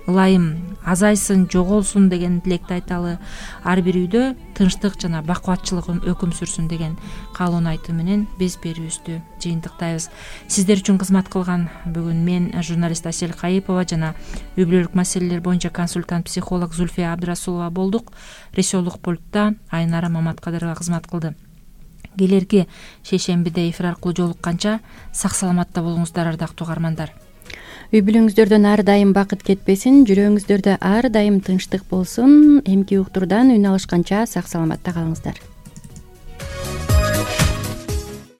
ылайым азайсын, жоголсун деген тилекти айталы. Ар бир үйдө тынчтык жана бакубатчылык өкүм сүрсүн деген каалоону айтуу менен биз берүүбүздү жыйынтыктайбыз. Сиздер үчүн кызмат кылган бүгүн мен, журналист Асель Кайыпова жана үй бүлөлүк маселелер боюнча консультант психолог Зүлфия Абдрасулова болдук. Режиссерлук пультта Айнара Маматкадырова кызмат кылды. Келерки шейшембиде эфир аркылуу жолукканча сак саламатта болуңуздар, ардактуу угармандар. Үй бүлөңүздөрдөн ар дайым бакыт кетпесин, жүрөгүңүздөрдө ар дайым тынчтык болсун. Эмки уктурдан үн алышканча сак саламатта калыңыздар.